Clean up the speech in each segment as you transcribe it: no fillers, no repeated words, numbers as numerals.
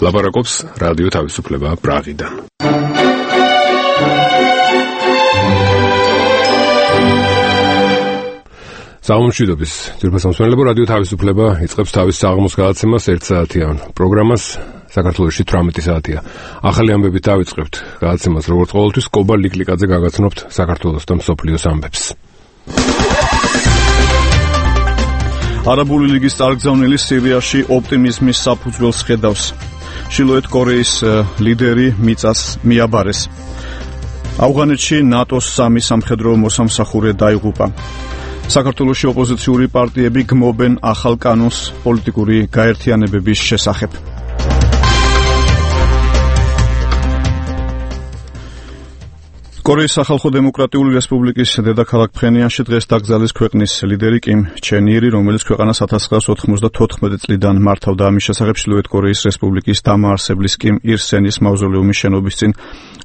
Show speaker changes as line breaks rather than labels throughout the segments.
ლაპარაკობს რადიო თავისუფლება პრაღიდან. სამშვიდობის ძირფასამსმენელებო, რადიო თავისუფლება იწყებს თავის საღამოს გადაცემას 1 საათიან პროგრამას. საქართველოში 18 საათია. ახალი ამბებით დავიწყებთ გადაცემას, როგორც ყოველთვის კობა ლიკლიკაძე გაგაცნობთ საქართველოს და მსოფლიოს ამბებს.
არაბული ლიგის წარგზავნილი სირიაში ოპტიმიზმის საფუძველს ხედავს. ჩრდილოეთ კორეის ლიდერი მიწას მიაბარეს. ავღანეთში ნატოს 3 სამხედრო მოსამსახურე დაიღუპა. საქართველოში ოპოზიციური პარტიები გმობენ ახალ კანონს პოლიტიკური გაერთიანებების შესახებ. კორეის სახალხო დემოკრატიული რესპუბლიკის დედაქალაქ ფხენიანში დღეს დაკრძალეს ქვეყნის ლიდერი კიმ ჩენ ირი, რომელიც ქვეყანას 1994 წლიდან მართავდა. ამის შესახებ ჩრდილოეთ კორეის რესპუბლიკის დამაარსებლის კიმ ირ სენის მავზოლეუმის შენობის წინ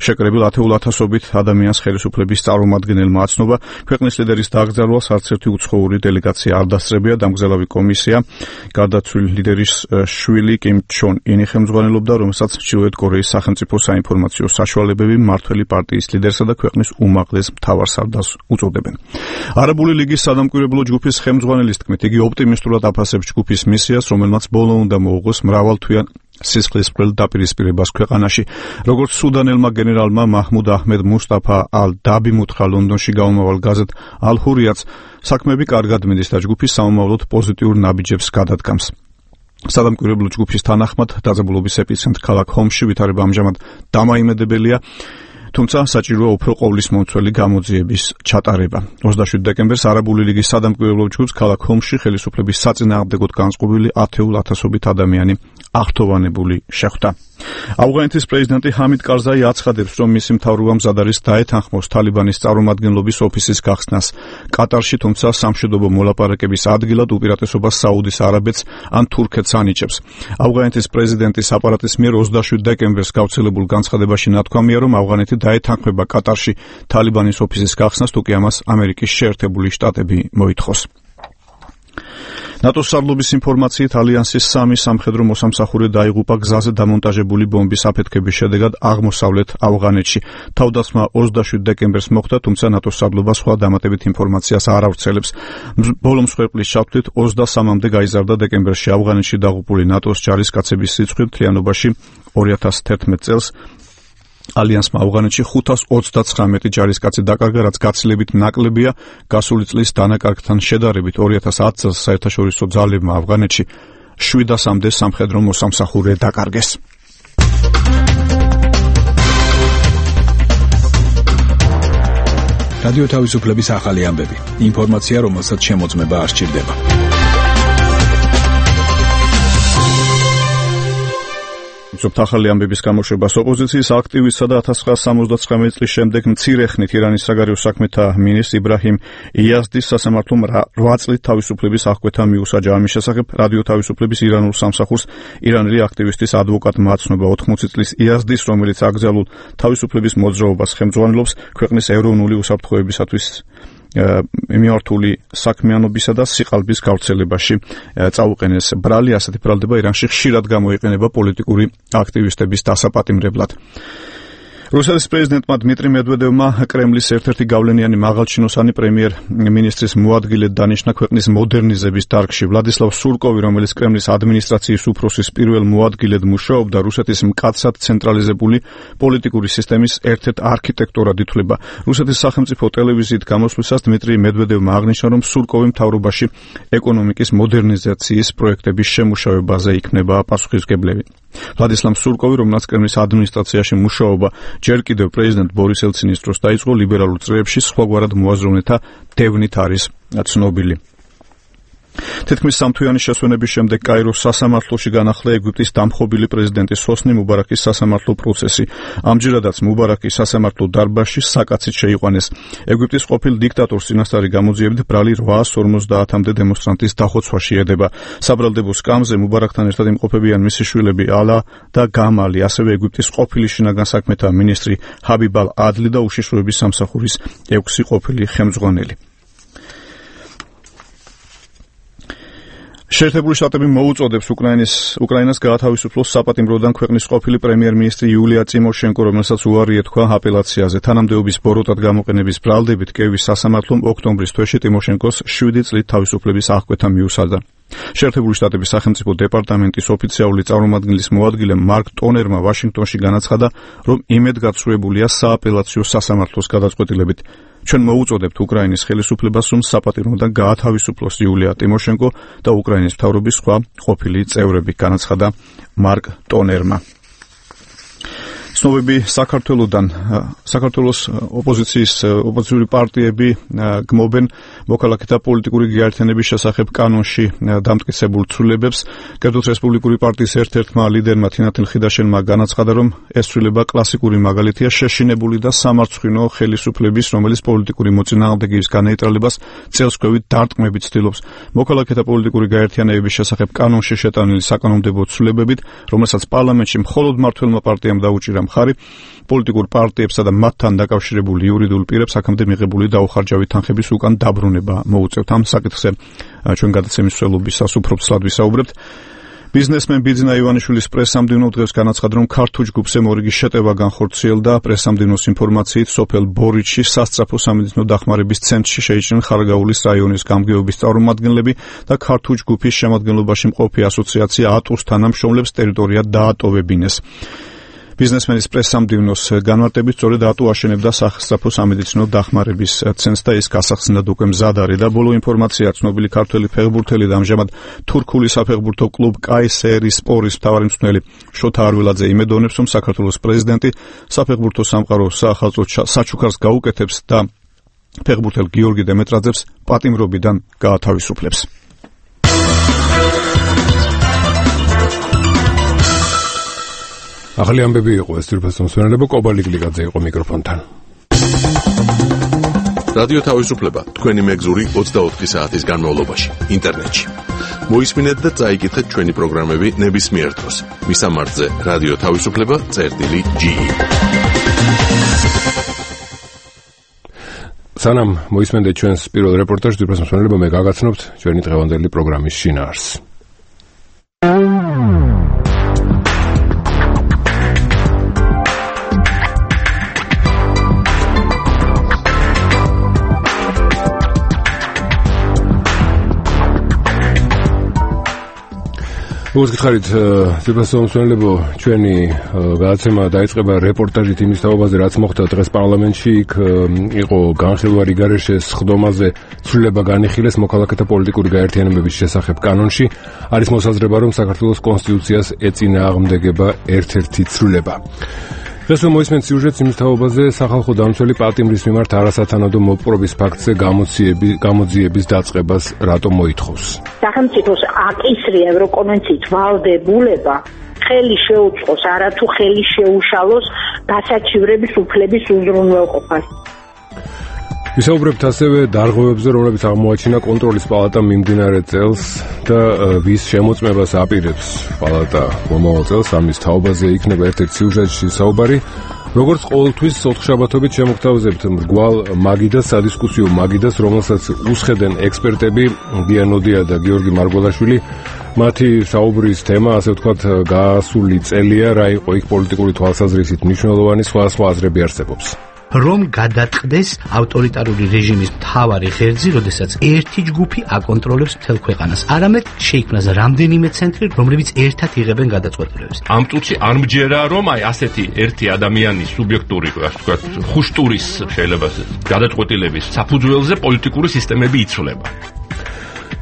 შეკრებილ ათეულათასობით ადამიანს ხელისუფლების წარმომადგენელმა აცნობა. ქვეყნის ლიდერის დაკრძალვას არც ერთი უცხოური დელეგაცია არ დასწრებია. დამგზელავი კომისია გარდაცვლილი ლიდერის შვილი კიმ ჩონ ინი ხელმძღვანელობდა, რომელსაც ჩრდილოეთ კორეის სახელმწიფო საინფორმაციო საშუალებები მმართველი პარტიის ლიდერსა და ქვეყნის უმაღლეს მთავარსარდალს უწოდებენ. არაბული ლიგის სადამკვირვებლო ჯგუფის ხელმძღვანელის თქმით, იგი ოპტიმისტურად აფასებს ჯგუფის მისიას, რომელმაც ბოლო უნდა მოუღოს მრავალთვიან სისხლისმღვრელ დაპირისპირებას ქვეყანაში. როგორც სუდანელმა გენერალმა მაჰმუდ აჰმედ მუსტაფა ალ-დაბიმ უთხრა ლონდონში გამომავალ გაზეთ ალ-ჰურიატს, საქმეები კარგად მიდის და ჯგუფის სამომავლოდ პოზიტიურ ნაბიჯებს გადადგამს. სადამკვირვებლო ჯგუფის თანახმად დაძაბულობის ეპიცენტრ ქალაქ ჰომსში ვითარება ამჟამად დამაიმედებელია, თუმცა საჭიროა უფრო ყოვლისმომცველი გამოძიების ჩატარება. 27 დეკემბერს არაბული ლიგის სადამკვირვებლო ჯგუფს ქალაქ ჰომსში ხელისუფლების საწინააღმდეგოდ განწყობილი ათეულათასობით ადამიანი აღთოვანებული შეხვდა. ავღანეთის პრეზიდენტი ჰამიდ კარზაი აცხადებს, რომ მისი მთავრობა მზად არის დაეთანხმოს თალიბანის წარმომადგენლობის ოფისის გახსნას კატარში, თუმცა სამშვიდობო მოლაპარაკების ადგილად უპირატესობას საუდის არაბეთს ან თურქეთს ანიჭებს. ავღანეთის პრეზიდენტის აპარატის მიერ 27 დეკემბერს გავრცელებულ განცხადებაში ნათქვამია, რომ ავღანეთი დაეთანხმება კატარში თალიბანის ოფისის გახსნას, თუ კი ამას ამერიკის შეერთებული შტატები მოითხოვს. ნატოს სარდლობის ინფორმაციით ალიანსის 3 სამხედრო მოსამსახურე დაიღუპა გზაზე დამონტაჟებული ბომბის აფეთქების შედეგად აღმოსავლეთ ავღანეთში. თავდასხმა 27 დეკემბერს მოხდა, თუმცა ნატოს სარდლობა სხვა დამატებით ინფორმაციას არ ავრცელებს. ბოლო მსხვერპლის ჩათვლით 23-მდე გაიზარდა დეკემბერში ავღანეთში დაღუპული ნატოს ჯარისკაცების სიცხე. მთლიანობაში 2011 წელს ალიანსმა ავღანეთში 529 ჯარისკაცი დაკარგა, რაც გაცილებით ნაკლებია გასული წლის დანაკარგთან შედარებით. 2010 წელს საერთაშორისო ძალებმა ავღანეთში 700-მდე სამხედრო მოსამსახურე დაკარგეს.
რადიო თავისუფლების ახალი ამბები. ინფორმაცია, რომელსაც შემოწმება არ სჭირდება.
ახალი ამბების გამოშვებას ოპოზიციის აქტივისტსა და 1979 წლის შემდეგ მცირე ხნით ირანის საგარეო საქმეთა მინისტრ იბრაჰიმ იაზდის სასამართლომ 8 წლით თავისუფლების აღკვეთა მიუსაჯა. ამის შესახებ რადიო თავისუფლების ირანულ სამსახურს ირანელი აქტივისტის ადვოკატმა აცნობა. 80 წლის იაზდის, რომელიც აკრძალულ თავისუფლების მოძრაობას ხელმძღვანელობს, ქვეყნის ეროვნული უსაფრთხოებისათვის მიმართული საქმიანობისა და სიყალბის გავრცელებაში წაუყენეს ბრალი. ასეთი ბრალდება ირანში ხშირად გამოიყენება პოლიტიკური აქტივისტების დასაპატიმრებლად. რუსეთის პრეზიდენტმა დმიტრი მედვედევმა კრემლის ერთ-ერთი გავლენიანი მაღალჩინოსანი პრემიერ-მინისტრის მოადგილედ დანიშნა ქვეყნის მოდერნიზების დარგში. ვლადისლავ სურკოვი, რომელიც კრემლის ადმინისტრაციის უფროსის პირველ მოადგილედ მუშაობდა, რუსეთის მკაცრად ცენტრალიზებული პოლიტიკური სისტემის ერთ-ერთ არქიტექტორად ითვლება. რუსეთის სახელმწიფო ტელევიზიით გამოსვლისას დმიტრი მედვედევმა აღნიშნა, რომ სურკოვი მთავრობაში ეკონომიკის მოდერნიზაციის პროექტების შემუშავებაზე იქნება პასუხისმგებელი. ვლადისლავ სურკოვი, რომელსაც კრემლის ადმინისტრაციაში მუშაობა ჯერ კიდევ პრეზიდენტ ბორის ელცინის დროს დაიწყო, ლიბერალურ წრეებში სხვაგვარად მოაზროვნეთა დევნით არის ცნობილი. თითქმის სამთვიანი შესვენების შემდეგ კაიროს სასამართლოში განახლდა ეგვიპტის დამხობილი პრეზიდენტის ჰოსნი მუბარაკის სასამართლო პროცესი. ამჯერადაც მუბარაკის სასამართლო დარბაზში საკაცით შეიყვანეს. ეგვიპტის ყოფილ დიქტატორს წინასწარი გამოძიებით ბრალი 850-მდე დემონსტრანტის დახოცვაში ედება. საბრალდებო სკამზე მუბარაკთან ერთად იმყოფებიან მისი შვილები ალა და გამალი, ასევე ეგვიპტის ყოფილი შინაგან საქმეთა მინისტრი ჰაბიბ ალ-ადლი და უშიშროების სამსახურის 6 ყოფილი ხელმძღვანელი. შეერთებული შტატები მოუწოდებს უკრაინას გაათავისუფლოს საპატიმროდან ქვეყნის ყოფილი პრემიერ-მინისტრი იულია ტიმოშენკო, რომელსაც უარი ეთქვა აპელაციაზე. თანამდებობის ბოროტად გამოყენების ბრალდებით კიევის სასამართლომ ოქტომბრის თვეში ტიმოშენკოს 7 წლით თავისუფლების აღკვეთა მიუსაჯა. შეერთებული შტატების სახელმწიფო დეპარტამენტის ოფიციალური წარმომადგენლის მოადგილე მარკ ტონერმა ვაშინგტონში განაცხადა, რომ იმედგაცრუებულია სააპელაციო სასამართლოს გადაწყვეტილებით. ჩვენ მოუწოდებთ უკრაინის ხელისუფლებას, რომ საპატიმროდან გაათავისუფლოს იულია ტიმოშენკო და უკრაინის მთავრობის სხვა ყოფილი წევრები, განაცხადა მარკ ტონერმა. ცნობები საქართველოს ოპოზიციური პარტიები გმობენ მოქალაქეთა პოლიტიკური გაერთიანების შესახებ კანონში დამტკიცებულ ცვლილებებს. კერძოდ რესპუბლიკური პარტიის ერთ-ერთმა ლიდერმა თინათინ ხიდაშენმა განაცხადა, რომ ეს ცვლილება კლასიკური მაგალითია შეშინებული და სამარცხვინო ხელისუფლების, რომელიც პოლიტიკური მოწინააღმდეგეების განეიტრალებას წელსქვევით დარტყმებით ცდილობს. მოქალაქეთა პოლიტიკური გაერთიანების შესახებ კანონში შეტანილი საკანონმდებლო ცვლილებებით, რომელსაც პარლამენტში მხოლოდ მმართველმა პარტიამ დაუჭირა მხარი, პოლიტიკურ პარტიებსა და მათთან დაკავშირებული იურიდიულ პირებს აქამდე მიღებული დაუხარჯავი თანხების უკან დაბრუნება მოუწევთ. ამ საკითხზე ჩვენ გადაცემის მსვლელობისას უფრო ცლად ვისაუბრებთ. ბიზნესმენ ბიძინა ივანიშვილის პრესამდივნო დღეს განაცხადა, რომ ქართულ ჯგუფზე მორიგი შეტევა განხორციელდა. პრესამდივნოს ინფორმაციით, სოფელ ბორიჩში სასწრაფო სამედიცინო დახმარების ცენტრში შეიჭრნენ ხარაგაულის რაიონის გამგეობის წარმომადგენლები და ქართულ ჯგუფის შემადგენლობაში მყოფი ასოციაცია ატუს თანამშრომლებს ტერიტორია დაატოვებინეს. ბიზნესმენის პრესამდივნოს განმარტებით, სწორედ ატუ აშენებდა სასწრაფო სამედიცინო დახმარების ცენტრს და ის გასახსნად უკვე მზად არის და ბოლო ინფორმაცია ცნობილი ქართველი ფეხბურთელი და ამჟამად თურქული საფეხბურთო კლუბ კაისერისპორის მთავარი მწვრთნელი შოთა არველაძე იმედოვნებს, რომ საქართველოს პრეზიდენტი საფეხბურთო სამყაროს საახალწლო საჩუქარს გაუკეთებს და ფეხბურთელ გიორგი დემეტრაძეს პატიმრობიდან გაათავისუფლებს.
ახალი ამბები იყო ეს თვითონ მსმენელებო, კობალი გლიკაძე იყო მიკროფონთან.
რადიო თავისუფლება თქვენი მეგზური 24 საათის განმავლობაში ინტერნეტში. მოისმინეთ და წაიკითხეთ ჩვენი პროგრამები ნებისმიერ დროს. მისამართზე რადიო თავისუფლება.ge.
სანამ მოისმენთ ჩვენს პირველ რეპორტაჟს, თვითონ მსმენელებო, მე გაგაცნობთ ჩვენი დღევანდელი პროგრამის შინაარსს. როგორც გითხარით, თვითონ ჩვენი გადაცემა დაიწყება რეპორტაჟით იმის თაობაზე, რაც მოხდა დღეს პარლამენტში. იქ იყო განხილვარი გარეშეს სხდომაზე ცვლილება განიხილეს მოქალაქეთა პოლიტიკური გაერთიანებების შესახებ კანონში. არის მოსაზრება, რომ საქართველოს კონსტიტუციას ეწინააღმდეგება ერთ-ერთი ცვლილება. დღეს მოისმენთ სიუჟეტს იმის თაობაზე, სახალხო დამცველი პატიმრის მიმართ არასათანადო მოპყრობის ფაქტზე გამოძიების დაწყებას რატომ მოითხოვს.
სახელმწიფოს აკისრია ევროკონვენციით ვალდებულება ხელი შეუწყოს, არათუ ხელი შეუშალოს დასაჩივრების უფლების უზრუნველყოფას.
ვისაუბრებთ ასევე დარღვევებზე, რომლებიც აღმოაჩინა კონტროლის პალატამ მიმდინარე წელს და ვის შემოწმებას აპირებს პალატა მომავალ წელს. ამის თაობაზე იქნება ერთ-ერთ სიუჟეტში საუბარი. როგორც ყოველთვის, ოთხშაბათობით შემოგთავაზებთ მრგვალ მაგიდას, სადისკუსიო მაგიდას, რომელსაც უსხედენ ექსპერტები დიანოდია და გიორგი მარგველაშვილი. მათი საუბრის თემა, ასე ვთქვათ, გასული წელია, რა იყო იქ პოლიტიკური თვალსაზრისით მნიშვნელოვანი, სხვა აზრები არსებობს.
რომ გადაწყდეს ავტორიტარული რეჟიმის მთავარი ღერძი, როდესაც ერთი ჯგუფი აკონტროლებს მთელ ქვეყანას. არამედ შეიქმნას რამდენიმე ცენტრი, რომლებიც ერთად იღებენ გადაწყვეტილებებს.
ამ წუთში არ მჯერა, რომ ასეთი ერთი ადამიანის სუბიექტური, ასე ვთქვათ, ხუშტურის შეიძლება გადაწყვეტილების საფუძველზე პოლიტიკური სისტემები იცვლება.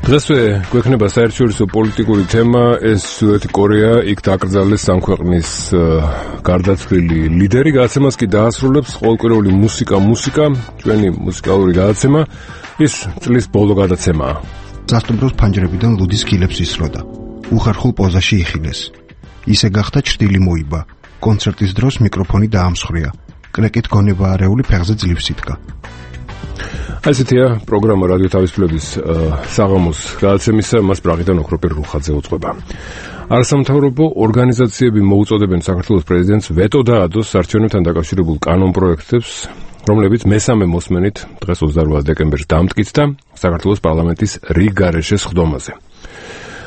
დღესვე გვექნება საერთაშორისო პოლიტიკური თემა, ეს ჩრდილოეთი კორეა, იქ დაკრძალეს ამ ქვეყნის გარდაცვლილი ლიდერი. გადაცემას კი დაასრულებს ყოველკვირეული მუსიკა, ჩვენი მუსიკალური გადაცემა, ის წლის ბოლო გადაცემაა.
სასტუმროს ფანჯრებიდან ლუდის კილებს ისროდა. უხერხულ პოზაში იხილეს. ისე გახდა ჭრილი მოიბა. კონცერტის დროს მიკროფონი დაამსხვრია. კრეკით გონება არეული ფეხზე ძლივს იდგა.
ასეთია პროგრამა რადიო თავისუფლების საღამოს გადაცემისა, მას პრაღიდან ოქროპირ რუხაძე უწყება. არასამთავრობო ორგანიზაციები მოუწოდებენ საქართველოს პრეზიდენტს ვეტო დაადოს არჩევნებთან დაკავშირებულ კანონპროექტებს, რომლებიც მესამე მოსმენით დღეს 28 დეკემბერს დამტკიცდა საქართველოს პარლამენტის რიგ გარეშე სხდომაზე.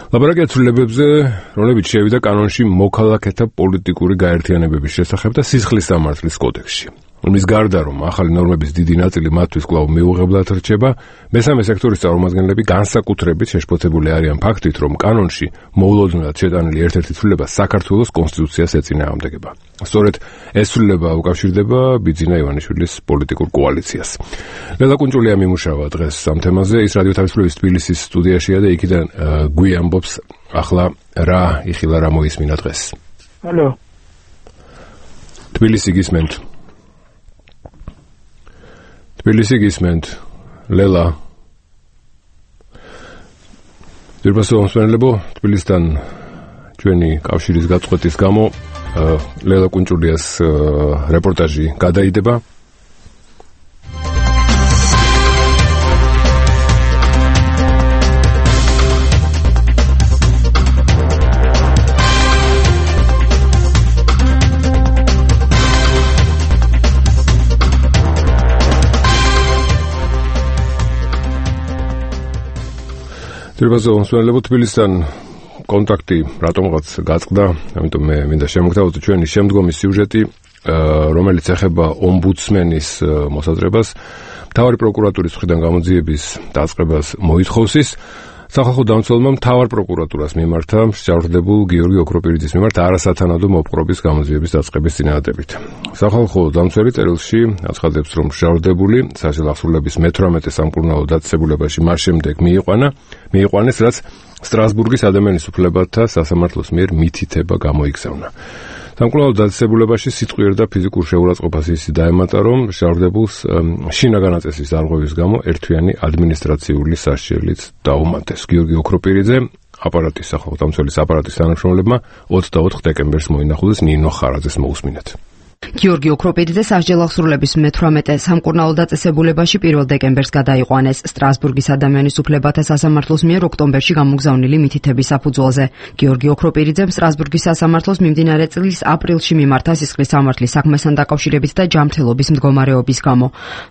ლაბორატორია ცვლილებებზე, რომლებიც შევიდა კანონში მოქალაქეთა პოლიტიკური გაერთიანებების შესახებ და სისხლის სამართლის კოდექსში. მის გარდა, რომ ახალი ნორმების დიდი ნაწილი მათთვის კვლავ მიუღებლად რჩება, მესამე სექტორის წარმომადგენლები განსაკუთრებით შეშფოთებული არიან ფაქტით, რომ კანონში მოულოდნელად შეტანილი ერთ-ერთი ცვლილება საქართველოს კონსტიტუციას ეწინააღმდეგება. სწორედ ეს ცვლილება უკავშირდება ბიძინა ივანიშვილის პოლიტიკურ კოალიციას. ლელა კუნჭულია მიმუშავა დღეს ამ თემაზე, ის რადიო თავისუფლების თბილისის სტუდიაშია და იქიდან გვიამბობს ახლა რა იხილა, რა მოისმინა დღეს.
ალო.
თბილისი გისმენთ. თბილისი გისმენთ, ლელა. ძირფასო მსმენელებო, თბილისთან ჩვენი კავშირის გაწყვეტის გამო ლელა კუნჭულიას რეპორტაჟი გადაიდება. ძირფასო მსმენელებო, თბილისთან კონტაქტი რატომღაც გაწყდა, ამიტომ მე მინდა შემოგთავაზო ჩვენი შემდგომი სიუჟეტი, რომელიც ეხება ომბუდსმენის მოსაზრებას, მთავარი პროკურატურის მხრიდან გამოძიების დაწყებას მოითხოვს ის. სახალხო დამცველმა მთავარ პროკურატურას მიმართა მსჯავრდებულ გიორგი ოქროპირიძის მიმართ არასათანადო მოპყრობის გამოძიების დაწყების წინააღმდეგ. სახალხო დამცველი წერილში აცხადებს, რომ მსჯავრდებული სასჯელ აღსრულების მე-18 სამკურნალო დაწესებულებაში მას შემდეგ მიიყვანეს, რაც სტრასბურგის ადამიანის უფლებათა სასამართლოს მიერ მითითება გამოიგზავნა. სამკურნალო დაწესებულებაში სიტყვიერ და ფიზიკურ შეურაცხყოფას ისე დაემატა, რომ მსჯავრდებულს შინაგანაწესის დარღვევის გამო ერთთვიანი ადმინისტრაციული სასჯელიც დაუმატეს. გიორგი ოქროპირიძე აპარატის სახალხო დამცველის აპარატის თანამშრომლებმა 24 დეკემბერს მოინახულეს. ნინო ხარაძეს მოусმინეთ.
გიორგი ოქროპირიძე სასჯელ აღსრულების მე-18 სამკურნალო დაწესებულებაში 1 დეკემბერს გადაიყვანეს სტრასბურგის ადამიანის უფლებათა სასამართლოს მიერ ოქტომბერში გამოგზავნილი მითითების საფუძველზე. გიორგი ოქროპირიძემ სტრასბურგის სასამართლოს მიმდინარე წლის აპრილში მიმართა სისხლის სამართლის საქმესთან დაკავშირებით და ჯანმრთელობის მდგომარეობის გამო.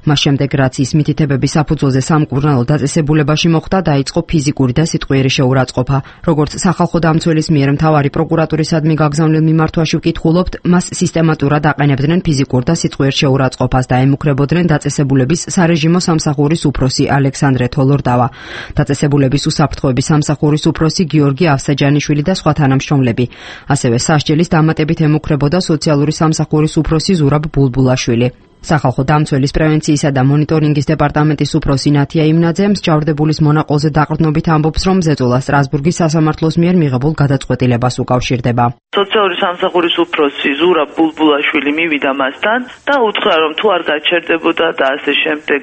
მას შემდეგ, რაც ის მითითებების საფუძველზე სამკურნალო დაწესებულებაში მოხვდა, დაიწყო ფიზიკური და სიტყვიერი შეურაცხყოფა. როგორც სახალხო დამცველის მიერ მთავარი პროკურატურისადმი გაგზავნილ მიმართვაში ვკითხულობთ, მას სისტემატურად აყენებდნენ ფიზიკურ და სიტყვიერ შეურაცხყოფას და ემუქრებოდნენ დაწესებულების სარეჟიმო სამსახურის უფროსი ალექსანდრე თოლორდავა, დაწესებულების უსაფრთხოების სამსახურის უფროსი გიორგი ავსაჯანიშვილი და სხვა თანამშრომლები. ასევე სასჯელის დამატებით ემუქრებოდა სოციალური სამსახურის უფროსი ზურაბ ბულბულაშვილი. სახალხო დამცველის პრევენციისა და მონიტორინგის დეპარტამენტის უფროსი ნათია იმნაძე მსჯავრდებულის მონაყოლზე დაყრდნობით ამბობს, რომ ზეწოლა სტრასბურგის სასამართლოს მიერ მიღებულ გადაწყვეტილებას უკავშირდება.
სოციალური სამსახურის უფროსი ზურაბ ბულბულაშვილი მივიდა მასთან და უთხრა, რომ თუ არ გაჩერდებოდა და ასე შემდეგ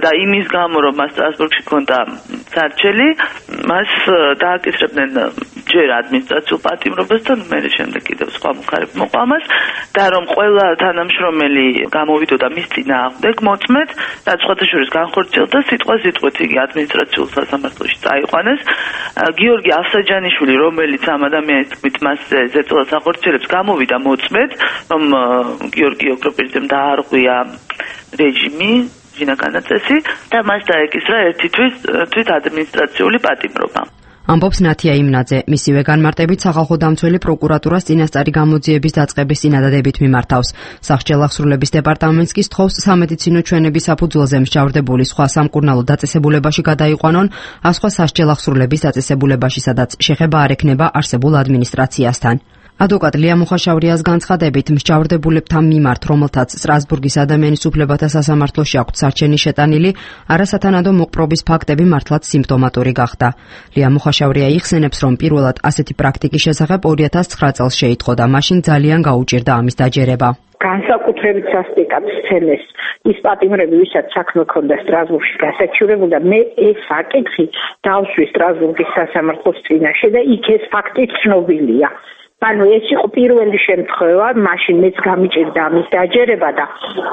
და იმის გამო, რომ მას სტრასბურგში ჰქონდა სარჩელი, მას დააკისრებდნენ ჯერ ადმინისტრაციულ პატიმრობასთან, მერე შემდეგ კიდევ სხვა მხარეები მოყვა მას და რომ ყველა თანამშრომელი გამოვიდოდა მის წინააღმდეგ მოწმედ, რაც სხვათა შორის განხორციელდა სიტყვაზე-სიტყვით იგი ადმინისტრაციულ სასამართლოში წაიყვანეს. გიორგი ავსაჯანიშვილი, რომელიც ამ ადამიანის თქმით მასზე ზეწოლას ახორციელებს, გამოვიდა მოწმედ, რომ გიორგი ოქროპირიძემ დაარღვია რეჟიმი, შინაგანაწესი და მას დაეკისრა ერთი თვით ადმინისტრაციული პატიმრობა.
ამბობს ნათია იმნაძე. მისივე განმარტებით სახალხო დამცველი პროკურატურას წინასწარი გამოძიების დაწყების წინადადებით მიმართავს. სასჯელ აღსრულების დეპარტამენტს კი სთხოვს სამედიცინო ჩვენების საფუძველზე მსჯავრდებული სხვა სამკურნალო დაწესებულებაში გადაიყვანონ, სხვა სასჯელ აღსრულების დაწესებულებაში, სადაც შეხება არ ექნება არსებულ ადმინისტრაციასთან. ადვოკატ ლია მუხაშავრიას განცხადებით, მსჯავრდებულებთან მიმართ, რომელთაც სტრასბურგის ადამიანის უფლებათა სასამართლოში აქვთ სარჩენი შეტანილი, არასათანადო მოპყრობის ფაქტები მართლაც სიმპტომატური გახდა. ლია მუხაშავრია იხსენებს, რომ პირველად ასეთი პრაქტიკის შესახებ 2009 წელს შეიტყო და მაშინ ძალიან გაუჭირდა ამის დაჯერება.
განსაკუთრებით სასტიკად სცემეს ის პატიმრები, ვისაც საქმე ჰქონდა სტრასბურგში გასაჩივრებულ და მე ეს საკითხი დავსვი სტრასბურგის სასამართლოს წინაშე და იქ ეს ფაქტი ცნობილია. ანუ ეს იყო პირველი შემთხვევა, მაშინ მეც გამიჭირდა ამის დაჯერება და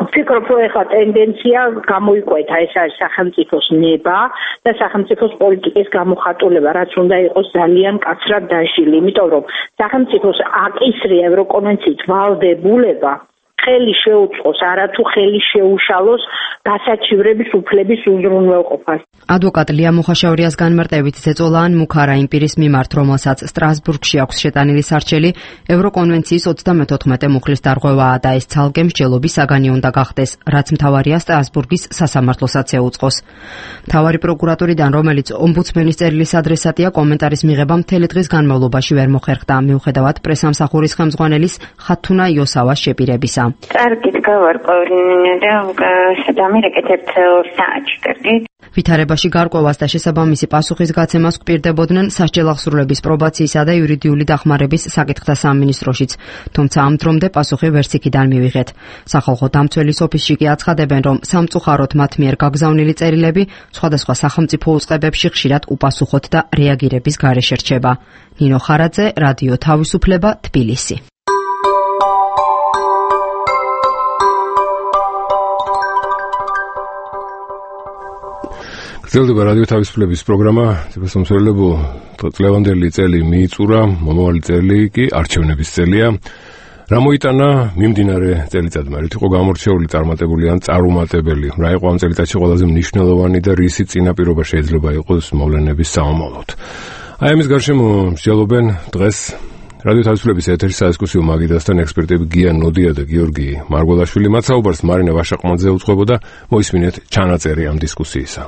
ვფიქრობ, რომ ეხლა ტენდენცია გამოიკვეთა, ეს არის სახელმწიფოს ნება და სახელმწიფოს პოლიტიკის გამოხატულება, რაც უნდა იყოს ძალიან კაცრად დაშლილი, იმიტომ რომ სახელმწიფოს აკისრია ევროკონვენციით ვალდებულება ხელი შეუწყოს, არათუ ხელი შეუშალოს დასაჩივრების უფლების უზრუნველყოფას.
ადვოკატ ლია მუხაშაურიას განმარტებით ზეწოლა ან მუქარა იმ პირის მიმართ, რომელსაც სტრასბურგში აქვს შეტანილი სარჩელი, ევროკონვენციის 34 მუხლის დარღვევაა და ეს ცალკე მსჯელობის საგანი უნდა გახდეს, რაც მთავარია სტრასბურგის სასამართლოსაც ეუწყოს. მთავარი პროკურატორიდან, რომელიც ომბუდსმენის წერილის ადრესატია, კომენტარის მიღება მთელი დღის განმავლობაში ვერ მოხერხდა, მიუხედავად პრესამსახურის ხელმძღვანელის ხათუნა იოსავას შეპირებისა.
კარგით გავარკვევი და დამირეკეთ 2 საათში კარგით.
ვითარებაში გარკვევას და შესაბამისი პასუხის გაცემას გვპირდებოდნენ სასჯელახსრულების პრობაციისა და იურიდიული დახმარების საკითხთა სამინისტროშიც, თუმცა ამ დრომდე პასუხი ვერც იქიდან მივიღეთ. სახალხო დამცველის ოფისში კი აცხადებენ, რომ სამწუხაროდ მათ მიერ გაგზავნილი წერილები სხვადასხვა სახელმწიფო უწყებებში ხშირად უპასუხოდ და რეაგირების გარეშე რჩება. ნინო ხარაძე, რადიო თავისუფლება, თბილისი.
გრძელდება რადიო თავისუფლების პროგრამა, ციფროსამსახურებო წლევანდელი წელი მიიწურა, მომავალი წელი კი არჩევნების წელია. რა მოიტანა მიმდინარე წელიწადმა, რით იყო გამორჩეული, წარმატებული ან წარუმატებელი, რა იყო ამ წელიწადში ყველაზე მნიშვნელოვანი და რისი წინაპირობა შეიძლება იყოს მოვლენების სამომავლოდ. აი ამის გარშემო მსჯელობენ დღეს რადიო თავისუფლების ეთერის სადისკუსიო მაგიდასთან ექსპერტები გია ნოდია და გიორგი მარგველაშვილი. მათ საუბარს მარინა ვაშაყმაძე უძღვებოდა, მოისმინეთ ჩანაწერი ამ დისკუსიისა.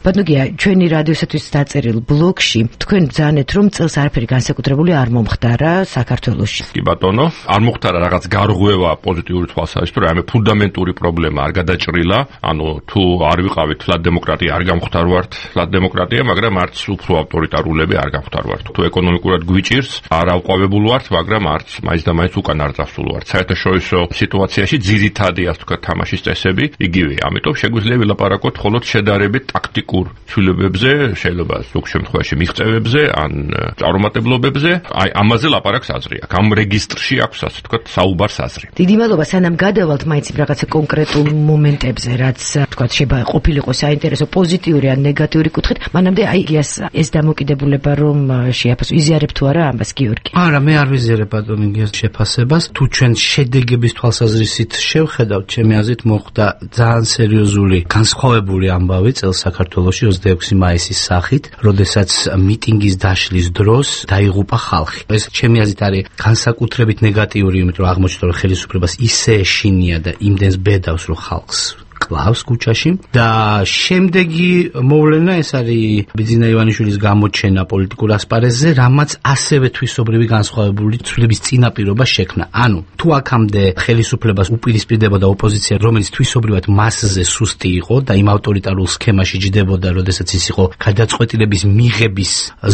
ბატონია, ჩვენი რადიოსათვის დაწერილ ბლოგში თქვენ ბრძანეთ, რომ წელს არაფერი განსაკუთრებული არ მომხდარა საქართველოში.
კი ბატონო, არ მომხდარა რაღაც გარღვევა პოზიტიური თვალსაზრისით, რომ ამე ფუნდამენტური პრობლემა არ გადაჭრილა, ანუ თუ არ ვიყავით ფლად დემოკრატია, არ გამხდარვართ ფლად დემოკრატია, მაგრამ არც უფრო ავტორიტარულები არ გამხდარვართ. თუ ეკონომიკურად გვიჭირს, არ ავყვავებულ ვართ, მაგრამ არც მაინც და მაინც უკან არ წასულ ვართ. საერთაშორისო სიტუაციაში ძირითადი, ასე ვთქვათ, თამაშის წესები იგივეა. ამიტომ შეგვიძლია ვილაპარაკოთ მხოლოდ შედარებით ტაქტიკურ ცვლილებებზე, შეიძლება ზოგ შემთხვევაში მიღწევებზე, ან წარუმატებლობებზე, აი ამაზე ლაპარაკს აზრი აქვს. ამ რეგისტრში აქვს, ასე ვთქვათ, საუბარს აზრი.
დიდი მადლობა, სანამ გადავალთ მაინც რაღაცა კონკრეტულ მომენტებზე, რაც ვთქვათ, შეიძლება ყოფილიყო საინტერესო პოზიტიური ან ნეგატიური კუთხით, მანამდე აი ეს დამოკიდებულება რომ შეაფასო, იზიარებ თუ არა ამას გიორგი?
არა, მე არ ვიზიარებ ბატონო გიას შეფასებას. თუ ჩვენ შედეგების თვალსაზრისით შევხედავთ, ჩემი აზრით მოხდა ძალიან სერიოზული განსხვავებული ამბავი წელს საქართველოში 26 მაისის სახით, როდესაც მიტინგის დაშლის დროს დაიღუპა ხალხი. ეს ჩემი აზრით არის განსაკუთრებით ნეგატიური, იმიტომ რომ აღმოჩნდა, რომ ხელისუფლებას ისე ეშინია და იმდენს ბედავს, რომ ხალხს კლავს კუჩაში და შემდეგი მოვლენა ეს არის ბიძინა ივანიშვილის გამოჩენა პოლიტიკურ ასპარეზზე, რამაც ასევე თვისობრივი განსხვავებული ცვლილების წინაპირობა შექმნა. ანუ თუ აქამდე ხელისუფლებას უპირისპირდებოდა ოპოზიცია, რომელიც თვისობრივად მასზე სუსტი იყო და იმ ავტორიტარულ სქემაში ჯდებოდა, როდესაც ის იყო გადაწყვეტილების მიღების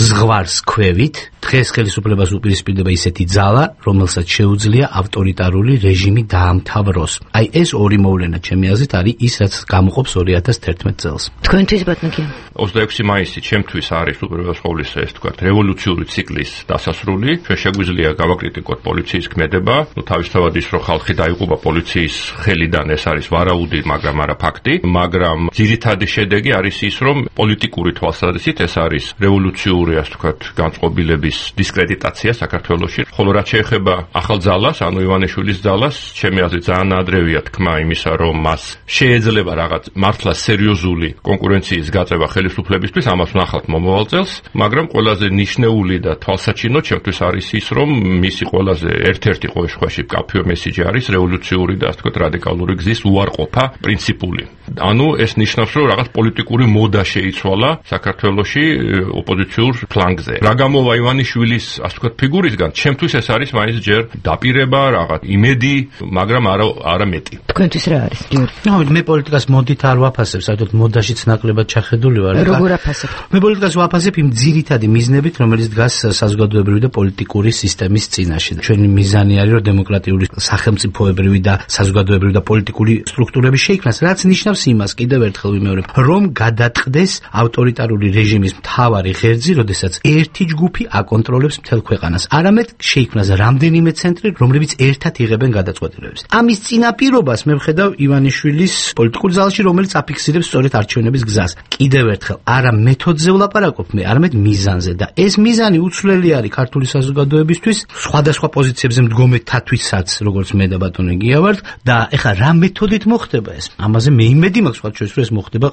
ზღვარს ქვევით, დღეს ხელისუფლებას უპირისპირდება ისეთი ძალა, რომელსაც შეუძლია ავტორიტარული რეჟიმი დაამთავროს. აი ეს ორი მოვლენა ჩემი აზრით არის ის, რაც გამოყოფს 2011 წელს.
თქვენთვის ბატონო
26 მაისი ჩემთვის არის უპირველეს ყოვლისა ეს თქვა რევოლუციური ციკლის დასასრული. ჩვენ შეგვიძლია გავაკრიტიკოთ პოლიციის ქმედება, თავისთავად ის რომ ხალხი დაიღუპა პოლიციის ხელიდან, ეს არის ვარაუდი, მაგრამ არა ფაქტი, მაგრამ ძირითადი შედეგი არის ის, რომ პოლიტიკური თვალსაზრისით ეს არის რევოლუციური, ასე ვთქვათ, განწყობილების დისკრედიტაცია საქართველოში. ხოლო რაც შეეხება ახალ ძალას, ანუ ივანიშვილის ძალას, ჩემი აზრით ძალიან ადრევია თქმა იმისა, რომ მას შეიძლება რაღაც მართლა სერიოზული კონკურენციის გაწევა ხელისუფლებისთვის, ამას ვნახავთ მომავალ წელს, მაგრამ ყველაზე ნიშნეული და თვალსაჩინო ჩემთვის არის ის, რომ მისი ყველაზე ერთ-ერთი ყოველ შემთხვევაში მკაფიო მესიჯი არის რევოლუციური და ასე ვთქვათ რადიკალური გზის უარყოფა პრინციპული. ანუ ეს ნიშნავს, რომ რაღაც პოლიტიკური მოდა შეიცვალა საქართველოში ოპოზიციურ ფლანგზე. რა გამოვა ივანიშვილის ასე ვთქვათ ფიგურისგან, ჩემთვის ეს არის მაინც ჯერ დაპირება, რაღაც იმედი, მაგრამ არა მეტი.
თქვენთვის რა არის გიორგი?
მე პოლიტიკას მოდით არ ვაფასებ, საერთოდ მოდაშიც ნაკლებად ჩახედული ვარ.
როგორ აფასებ?
მე პოლიტიკას ვაფასებ იმ ძირითადი მიზნებით, რომელიც დგას საზოგადოებრივი და პოლიტიკური სისტემის წინაშე. ჩვენი მიზანი არის, რომ დემოკრატიული სახელმწიფოებრივი და საზოგადოებრივი და პოლიტიკური სტრუქტურები შეიქმნას, რაც ნიშნავს იმას, კიდევ ერთხელ ვიმეორებ, რომ გადაწყდეს ავტორიტარული რეჟიმის მთავარი ღერძი, როდესაც ერთი ჯგუფი აკონტროლებს აკონტროლებს მთელ ქვეყანას. არამედ შეიქმნას რამდენიმე ცენტრი, რომლებიც ერთად იღებენ გადაწყვეტილებებს. ამის წინაპირობას მე ვხედავ ივანიშვილის პოლიტიკურ ზალში, რომელიც აფიქსირებს სწორედ არჩევნების გზას. კიდევ ერთხელ, არა მეთოდზე ვლაპარაკობ მე, არამედ მიზანზე და ეს მიზანი უცვლელი არის ქართული საზოგადოებისთვის, სხვადასხვა პოზიციებზე მდგომეთათვისაც, როგორც მე და ბატონი გია ვართ და ეხლა რა მეთოდით მოხდება ეს? ამაზე მე იმედი მაქვს, სხვა შეიძლება ეს მოხდება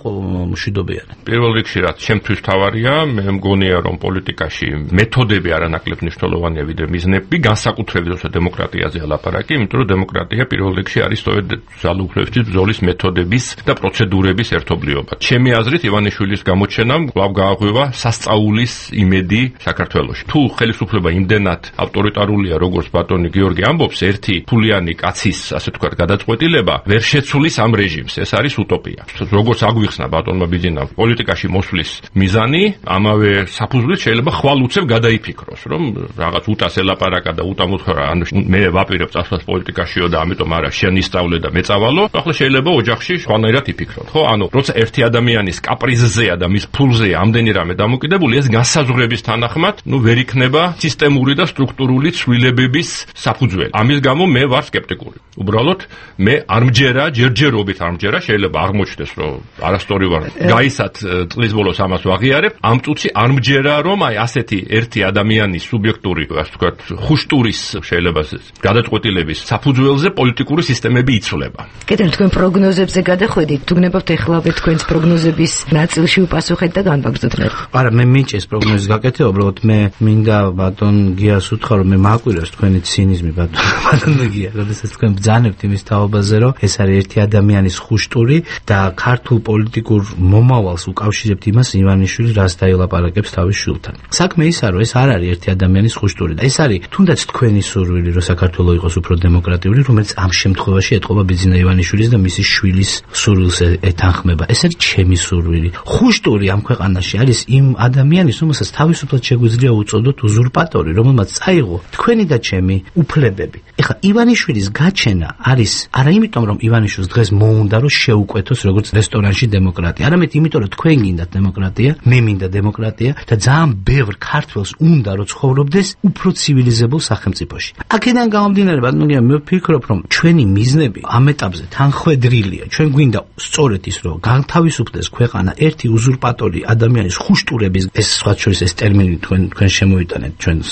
მშვიდობიანად.
პირველ რიგში რაც ჩემთვის თავარია, მე მგონია რომ პოლიტიკაში მეთოდები არანაკლებ მნიშვნელოვანია ვიდრე მიზნები, განსაკუთრებით როცა დემოკრატიაზე ლაპარაკი, იმიტომ რომ დემოკრატია პირველ რიგში არის სწორედ ძალაუფლებისთვის ბრძოლის მეთოდების და პროცედურების ერთობლიობა. ჩემი აზრით ივანიშვილის გამოჩენამ კვლავ გააღვივა სასწაულის იმედი საქართველოში. თუ ხელისუფლება იმდენად ავტორიტარულია, როგორც ბატონი გიორგი ამბობს, ერთი ფულიანი კაცის, ასე ვთქვათ, გადაწყვეტილება ვერ შეცვლის ამ რეჟიმს. ეს არის უტოპია. როგორც აგვიხსნა ბატონმა ბიძინამ, პოლიტიკაში მოსვლის მიზანი ამავე საფუძვლით შეიძლება ხვალ უცებ გადაიფიქროს, რომ რაღაც უტას ელაპარაკა და უტა მოთხრა, ანუ მე ვაპირებ წასვლას პოლიტიკაშიო და ამიტომ არა შენ ისწავლე და მეწავალო. ახლა შეიძლება ოჯახში სხვანაირად იფიქროთ, ხო? ანუ როცა ერთი ადამიანის კაპრიზზეა და მის ფულზეა ამდენი რამე დამოკიდებული, ეს განსაზღვრების თანახმად, ვერ იქნება სისტემური და სტრუქტურული ცვლილებების საფუძველი. ამის გამო მე ვარ სკეპტიკური. უბრალოდ მე არ მჯერა, ჯერჯერობით არ მჯერა, შეიძლება აღმოჩნდეს, რომ არასწორი ვარ. გაისად წლის ბოლოს ამას ვაღიარებ. ამ წუთში არ მჯერა, რომ აი ასეთი ერთი ადამიანის სუბიექტური, ასე ვთქვათ, ხუშტურის შეიძლება გადაწყვეტილების საფუძველზე პოლიტიკური სისტემები იცვლება.
კიდევ თქვენ პროგნოზებზე გადახვედით, თუ გნებავთ ეხლავე თქვენს პროგნოზების ნაწილში უპასუხეთ და განვაგრძოთ რა.
არა, მე მინჭეს პროგნოზის გაკეთება, უბრალოდ მე მინდა ბატონ გიას უთხრა, რომ მე მაკვირავს თქვენი ცინიზმი ბატონ გია, როდესაც თქვენ ბრძანებთ იმის თაობაზე, რომ ეს არის ერთი ადამიანის ხუშტური და ქართულ პოლიტიკურ მომავალს უკავშირებთ იმას ივანიშვილი რას დაილაპარაკებს თავის შვილთან. საქმე ისაა, რომ ეს არ არის ერთი ადამიანის ხუშტური და ეს არის თუნდაც თქვენი სურვილი, რომ საქართველო იყოს უფრო დემოკრატიული, რომელიც ამ შემთხვევაში ეთყობა ბიძინა ივანიშვილის და მისი შვილის სურვილს ეთანხმება. ეს არის ჩემი სურვილი. ხუშტური ამ ქვეყანაში არის იმ ადამიანის, რომელსაც თავისუფლად შეგვიძლია უწოდოთ უზურპატორი, რომელმაც წაიღო თქვენი და ჩემი უფლებები. ეხლა ივანიშვილის გაჩენა არის არა იმიტომ, რომ ივანიშვილს დღეს მოუნდა რომ შეუკვეთოს როგორც რესტორანში დემოკრატია, არამედ იმიტომ, რომ თქვენ გინდათ დემოკრატია, მე მინდა დემოკრატია და ძალიან ბევრ ქართველს უნდა რომ ცხოვრობდეს უფრო ცივილიზებულ სახელმწიფოში. აქედან გამომდინარე, ბატონო, მე ვფიქრობ, რომ ჩვენი მიზნები ამ ეტაპზე თანხვედრილია. ჩვენ გვინდა სწორედ ის, რომ განთავისუფლდეს ქვეყანა ერთი უზურპატორი ადამიანის ხუშტურების, ეს სხვა შორის ეს ტერმინი თქვენ შემოვიტანეთ ჩვენს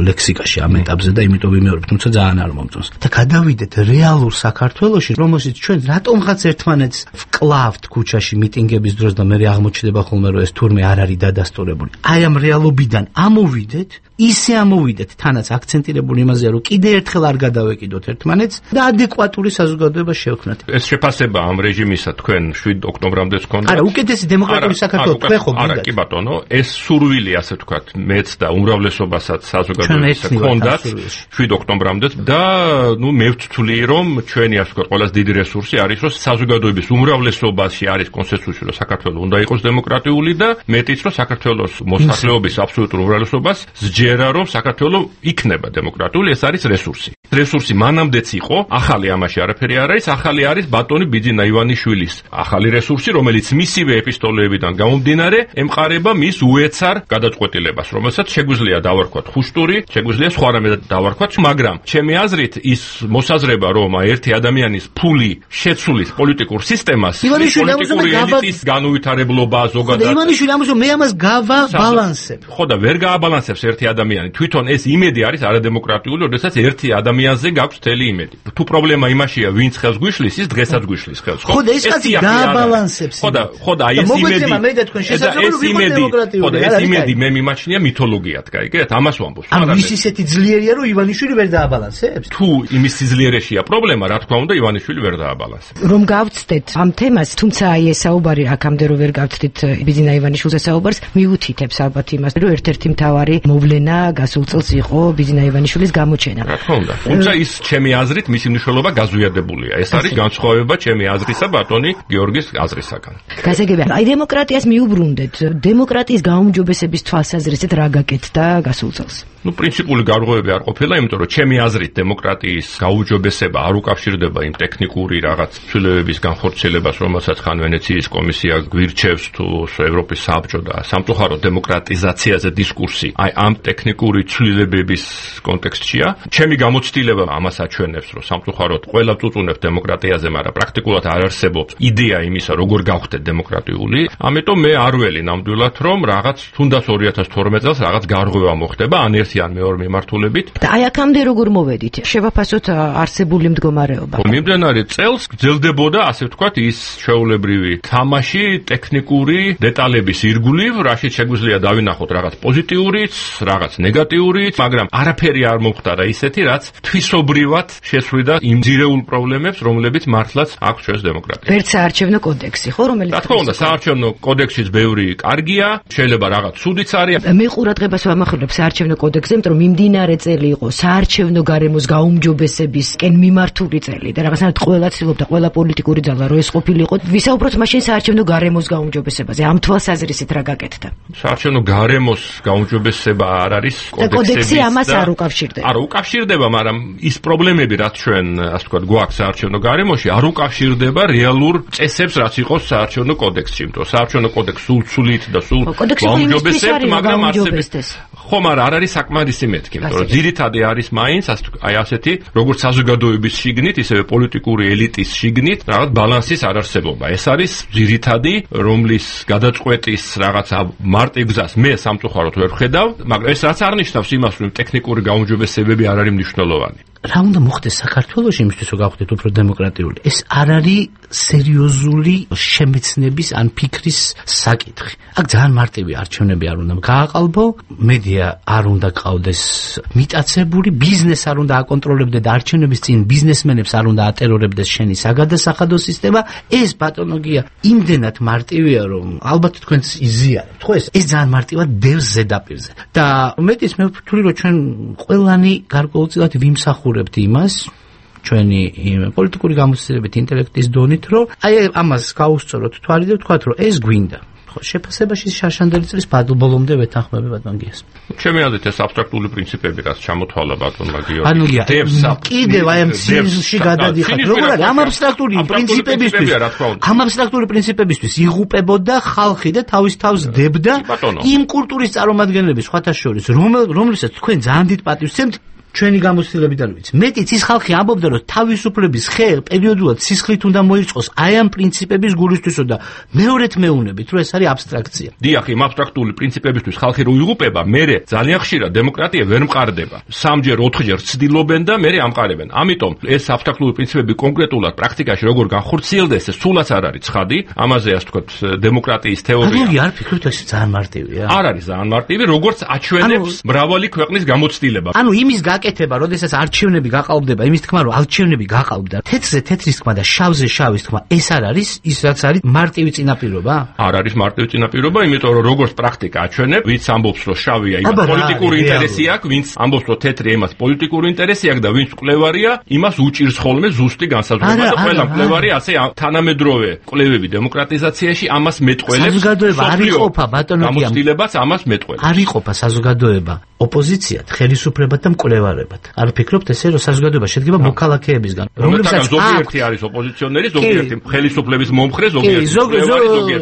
ლექსიკაში ამ ეტაპზე და იმიტომ ვიმეორებ, თუმცა ძალიან არ მომწონს. და გადავიდეთ რეალურ საქართველოში, რომელშიც ჩვენ რატომღაც ერთმანეთს ვკლავთ ქუჩაში მიტინგების დროს და მე აღმოჩნდება ხოლმე, რომ ეს თურმე არ არის დადასტურებული. აი ამ რეალობიდან ამოვიდეთ, ისე ამოვიდეთ, თანაც აქცენტირებული იმაზეა, რომ კიდე ერთხელ არ გადავეკიდოთ ერთმანეთს და ადეკვატური საზოგადოება შევქმნათ.
ეს შეფასება ამ რეჟიმისა თქვენ 7 ოქტომბრამდე გქონდა?
არა, უკეთესი დემოკრატიული საქართველო თქვენ ხო გინდათ?
არა, კი ბატონო, ეს სურვილი, ასე ვთქვათ, მეც და უმრავლესობასაც საზოგადოებას ჰქონდათ 7 ოქტომბრამდე და მე ვთვლი, რომ ჩვენი, ასე ვთქვათ, ყველაზე დიდი რესურსი არის, რომ საზოგადოების უმრავლესობაში არის კონსენსუსი, რომ საქართველო უნდა იყოს დემოკრატიული და მეტიც, რომ საქართველოს მოსახლეობის აბსოლუტურ უმრავლესობას სჯერა, რომ საქართველო იქნება დემოკრატიული, ეს არის რესურსი. რესურსი მანამდეც იყო, ახალი ამაში არაფერი არ არის, ახალი არის ბატონი ბიძინა ივანიშვილის ახალი რესურსი, რომელიც მისივე ეპისტოლეებიდან გამომდინარე ემყარება მის უეცარ გადაწყვეტილებას, რომელსაც შეგვიძლია დავარქვათ ხუშტური, შეგვიძლია სხვა რამე დავარქვათ, მაგრამ ჩემი აზრით ის მოსაზრება, რომ ერთი ადამიანის ფული შეცვლის პოლიტიკურ სისტემას, პოლიტიკური ელიტის განუვითარებლობა ზოგადად.
ივანიშვილი ამბობს, რომ მე ამას გავაბალანსებ.
ხო და ვერ გააბალანსებს ერთი ადამიანი. თვითონ ეს იმედი არის არადემოკრატიული, როდესაც ერთი ადამიანზე გაქვს მთელი იმედი. თუ პრობლემა იმაშია, ვინც ხელს გვიშლის, ის დღესაც გვიშლის ხელს.
ხო და ეს კაცი გააბალანსებს.
ხო და აი ეს იმედი.
მე და თქვენ შესაძლოა ვიყოთ დემოკრატიული.
ხო და ეს იმედი მე მიმაჩნია მითოლოგიად, გაიგეთ? ამას ვამბობ.
ანუ ის ისეთი ძლიერია, რომ ივანიშვილი ვერ დააბალანსებს.
თუ იმის სიძლიერეშია პრობლემა, რა თქმა უნდა, ივანიშვილი ვერ დააბალანსებს.
რომ გავცდეთ ამ თემას, თუმცა აი ეს საუბარი აქამდე რომ ვერ გავცდით ბიძინა ივანიშვილზე საუბარს, მიუთითებს ალბათ იმას, რომ ერთ-ერთი მთავარი მოვლენა გასულ წელს იყო ბიძინა ივანიშვილის გამოჩენა.
რა თქმა უნდა. თუმცა ის ჩემი აზრით მისი მნიშვნელობა გაზვიადებულია. ეს არის განსხვავება ჩემი აზრისა ბატონი გიორგის აზრისაგან.
გასაგებია. აი დემოკრატიას მიუბრუნდეთ. დემოკრატიის გაუმჯობესების თვალსაზრისით რა გაკეთდა გასულ წელს?
პრინციპული გარღვევები არ ყოფილა, იმიტომ რომ ჩემი აზრით დემოკრატიის გაუმჯობესება არ უკავშირდება იმ ტექნიკური რაღაც ცვლილებების განხორციელებას, რომელსაც ხან ვენეციის კომისია გვირჩევს თუ ევროპის საბჭო და სამწუხაროდ დემოკრატიზაციაზე დისკურსი. აი ამ ტექნიკური ცვლილებების კონტექსტშია. ჩემი გამოცდილება ამას აჩვენებს, რომ სამწუხაროდ ყველა წუწუნებს დემოკრატიაზე, მაგრამ პრაქტიკულად არ არსებობს იდეა იმისა, როგორ გავხდეთ დემოკრატიული. ამიტომ მე არ ველი ნამდვილად, რომ რაღაც თუნდაც 2012 წელს რაღაც გარღვევა მოხდება ან ერთი ან მეორე მიმართულებით.
და აი აქამდე როგორ მოვედით? შევაფასოთ არსებული მდგომარეობა.
მიმდინარე წელს გრძელდებოდა, ასე ვთქვათ, ის ჩვეულებრივი თამაში ტექნიკური დეტალების ირგვლივ, რაშიც შეგვიძლია დავინახოთ რაღაც პოზიტიურიც, რაღაც ნეგატიურიც, მაგრამ არაფერი არ მომხდარა ისეთი, რაც თვისობრივად შესვლიდა იმ ძირეულ პრობლემებს, რომლებიც მართლაც აქვს ჩვენს დემოკრატიას.
ვერც საარჩევნო კოდექსი, ხო, რომელიც
რა თქმა უნდა, საარჩევნო კოდექსიც ბევრი კარგია, შეიძლება რაღაც ცუდიც არის.
მე ყურადღებას ვამახვილებ საარჩევნო კოდექსზე, იმიტომ რომ მიმდინარე წელი იყო საარჩევნო გარემოს გაუმჯობესებისკენ მიმართული წელი და რაღაცნაირად ყველა ცდილობდა, ყველა პოლიტიკური ძალა რო ეს ყოფილიყო. ვისაუბროთ მაშინ საარჩევნო გარემოს გაუმჯობესებაზე. ამ თვალსაზრისით რა გაკეთდა?
საარჩევნო გარემოს გაუმჯობესება არ არის
კოდექსი ამას არ უკავშირდება.
არ უკავშირდება, მაგრამ ის პრობლემები, რაც ჩვენ, ასე ვთქვათ, გვაქვს საარჩევნო გარემოში, არ უკავშირდება რეალურ წესებს, რაც იყოს საარჩევნო კოდექსში. იმიტომ საარჩევნო კოდექსი სულ ცვლით და სულ გაუმჯობესებთ, მაგრამ არსებობს. ხო, მაგრამ არ არის საკმარისი მეთქი, იმიტომ რომ ძირითადი არის მაინც აი ასეთი, როგორც საზოგადოების შიგნით, ისევე პოლიტიკური ელიტის შიგნით, რაღაც ბალანსის არარსებობა. ეს არის ძირითადი, რომლის გადაწყვეტის რაღაცა მარტივ გზას მე სამწუხაროდ ვერ ხედავ, მაგრამ ეს რაც არ ნიშნავს იმას, რომ ტექნიკური გაუმჯობესებები არ არის მნიშვნელოვანი.
რა უნდა მოხდეს საქართველოში იმისთვის, რომ გავხდეთ უფრო დემოკრატიული? ეს არ არის სერიოზული შემეცნების ან ფიქრის საკითხი. აქ ძალიან მარტივი არჩევნები არ უნდა გააყალბო, მედია არ უნდა ყავდეს მიტაცებული, ბიზნეს არ უნდა აკონტროლებდეს არჩევნების წინ ბიზნესმენებს არ უნდა ატერორებდეს შენი საგადასახადო სისტემა. ეს ბატონოგია იმდენად მარტივია, რომ ალბათ თქვენს იზიარებთ. ხო, ეს ძალიან მარტივად დევს ზედაპირზე. და მეტიც მე ვფიქრობ, რომ ჩვენ ყველანი გარკვეულწილად ვიმსახურებთ იმას, ჩვენი პოლიტიკური გამოცდილებით, ინტელექტის დონით, რომ აი ამას გაუსწოროთ თვალი და ვთქვათ, რომ ეს გვინდა. შეფასებაში შარშანდელი წლის ბოლომდე ვეთანხმები ბატონ გიას.
ჩემი აზრით ეს აბსტრაქტული პრინციპები, რაც ჩამოთვალა ბატონმა გიორგი.
ანუ კიდევ აი ამ სიზში გადადიხართ. როგორ არის ამ აბსტრაქტული პრინციპებისთვის? ამ აბსტრაქტული პრინციპებისთვის იღუპებოდა ხალხი და თავის თავს დებდა იმ კულტურის წარმომადგენლების სხვათა შორის, რომლითაც თქვენ ძალიან დიდ პატივს სცემთ. ჩვენი გამოცდილებიდან ვიცი. მეტიც ის ხალხი ამბობდა, რომ თავისუფლების ხე პერიოდულად სისხლით უნდა მოიწყოს აი ამ პრინციპების გულისთვისო და მეორედ მეუნებით, რომ ეს არის აბსტრაქცია.
დიახ, იმ აბსტრაქტული პრინციპებისთვის ხალხი რო იღუპება, მერე ძალიან ხშირად დემოკრატია ვერ მყარდება. 3-ჯერ 4-ჯერ ცდილობენ და მერე ამყარებენ. ამიტომ ეს აბსტრაქტული პრინციპები კონკრეტულად პრაქტიკაში როგორ განხორციელდეს, ეს სულაც არ არის ცხადი. ამაზე ასე ვთქვათ, დემოკრატიის თეორია.
ანუ არ ფიქრობთ, ეს ძალიან მარტივია.
არ არის ძალიან მარტივი, როგორც აჩვენებს მრავალი ქვეყნის გამოცდილება.
ანუ იმის აკეთება, როდესაც არჩევნები გაყალბდება, იმის თქმა, რომ არჩევნები გაყალბდა, თეთრზე თეთრის თქმა და შავზე შავის თქმა, ეს არ არის ის, რაც არის მარტივი წინაპირობა?
არ არის მარტივი წინაპირობა, იმიტომ რომ როგორც პრაქტიკა აჩვენებს, ვინც ამბობს, რომ შავია, იმას პოლიტიკური ინტერესი აქვს, ვინც ამბობს, რომ თეთრია, იმას პოლიტიკური ინტერესი აქვს და ვინც მკვლევარია, იმას უჭირს ხოლმე ზუსტი განსაზღვრება და ყველა მკვლევარი ასე თანამედროვე კვლევები დემოკრატიზაციაში ამას მეტყველებს.
საზოგადოება არ იყოფა ბატონო გია.
გამოცდილებაც ამას მეტყველებს.
არ იყოფა საზოგადოება ოპოზიციად, ხელისუფლებად და მკვლევარებად. არ ფიქრობთ ესე, რომ საზოგადოება შედგება მოქალაქეებისგან,
რომლებსაც ზოგიერთი არის ოპოზიციონერი, ზოგიერთი ხელისუფლების მომხრე, ზოგიერთი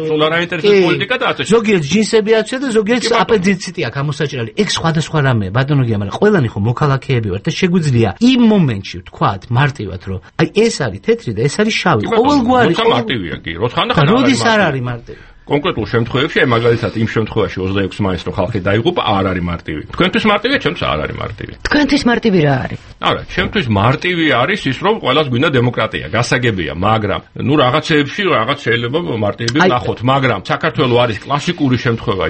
სულ არ აინტერესებს პოლიტიკა და ასე.
ზოგიერთი ჯინსები აქვს და ზოგიერთი აპენდიციტი აქვს ამოსაჭრელი. ეგ სხვადასხვა რამეა, ბატონოგია, მაგრამ ყველანი ხო მოქალაქეები ვართ და შეგვიძლია იმ მომენტში ვთქვათ მარტივად, რომ აი ეს არის თეთრი და ეს არის შავი. ყოველგვარი
მარტივია კი, როთხანახან
როდის არ არის მარტივი?
კონკრეტულ შემთხვევებში, მაგალითად იმ შემთხვევაში 26 მაისს რო ხალხი დაიღუპა, არ არის მარტივი. თქვენთვის მარტივია, ჩემთვის არ არის მარტივი.
თქვენთვის მარტივი რა არის?
არა, ჩემთვის მარტივი არის ის, რომ ყველას გვინდა დემოკრატია, გასაგებია, მაგრამ ნუ რაღაცეებში რაღაც შეიძლება მარტივი ვნახოთ, მაგრამ საქართველოს არის კლასიკური შემთხვევა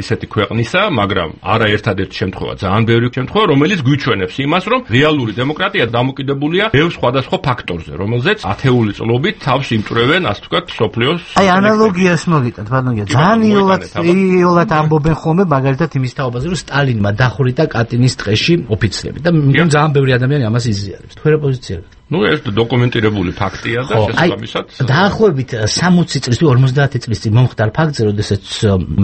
ისეთი ქვეყნისა, მაგრამ არა ერთადერთი შემთხვევა, ძალიან ბევრი შემთხვევა, რომელიც გვიჩვენებს იმას, რომ რეალური დემოკრატია დამოკიდებულია ბევრ სხვადასხვა ფაქტორზე, რომელზეც ათეული წლობით თავს იმჭრევენ, ასე ვთქვათ, სოფლიოს.
აი ანალოგია მოგიტანთ ბატონო, ძალიან იოლად ამბობენ ხოლმე მაგალითად იმის თაობაზე, რომ სტალინმა დახვრიტა კატინის ტყეში ოფიცრები და ძალიან ბევრი ადამიანი ამას იზიარებს. თქვენ რა პოზიცია გაქვთ?
ნუ ეს დოკუმენტირებული ფაქტია და შესაბამისად
დაახლოებით 60 წლის თუ 50 წლის წინ მომხდარ ფაქტზე, როდესაც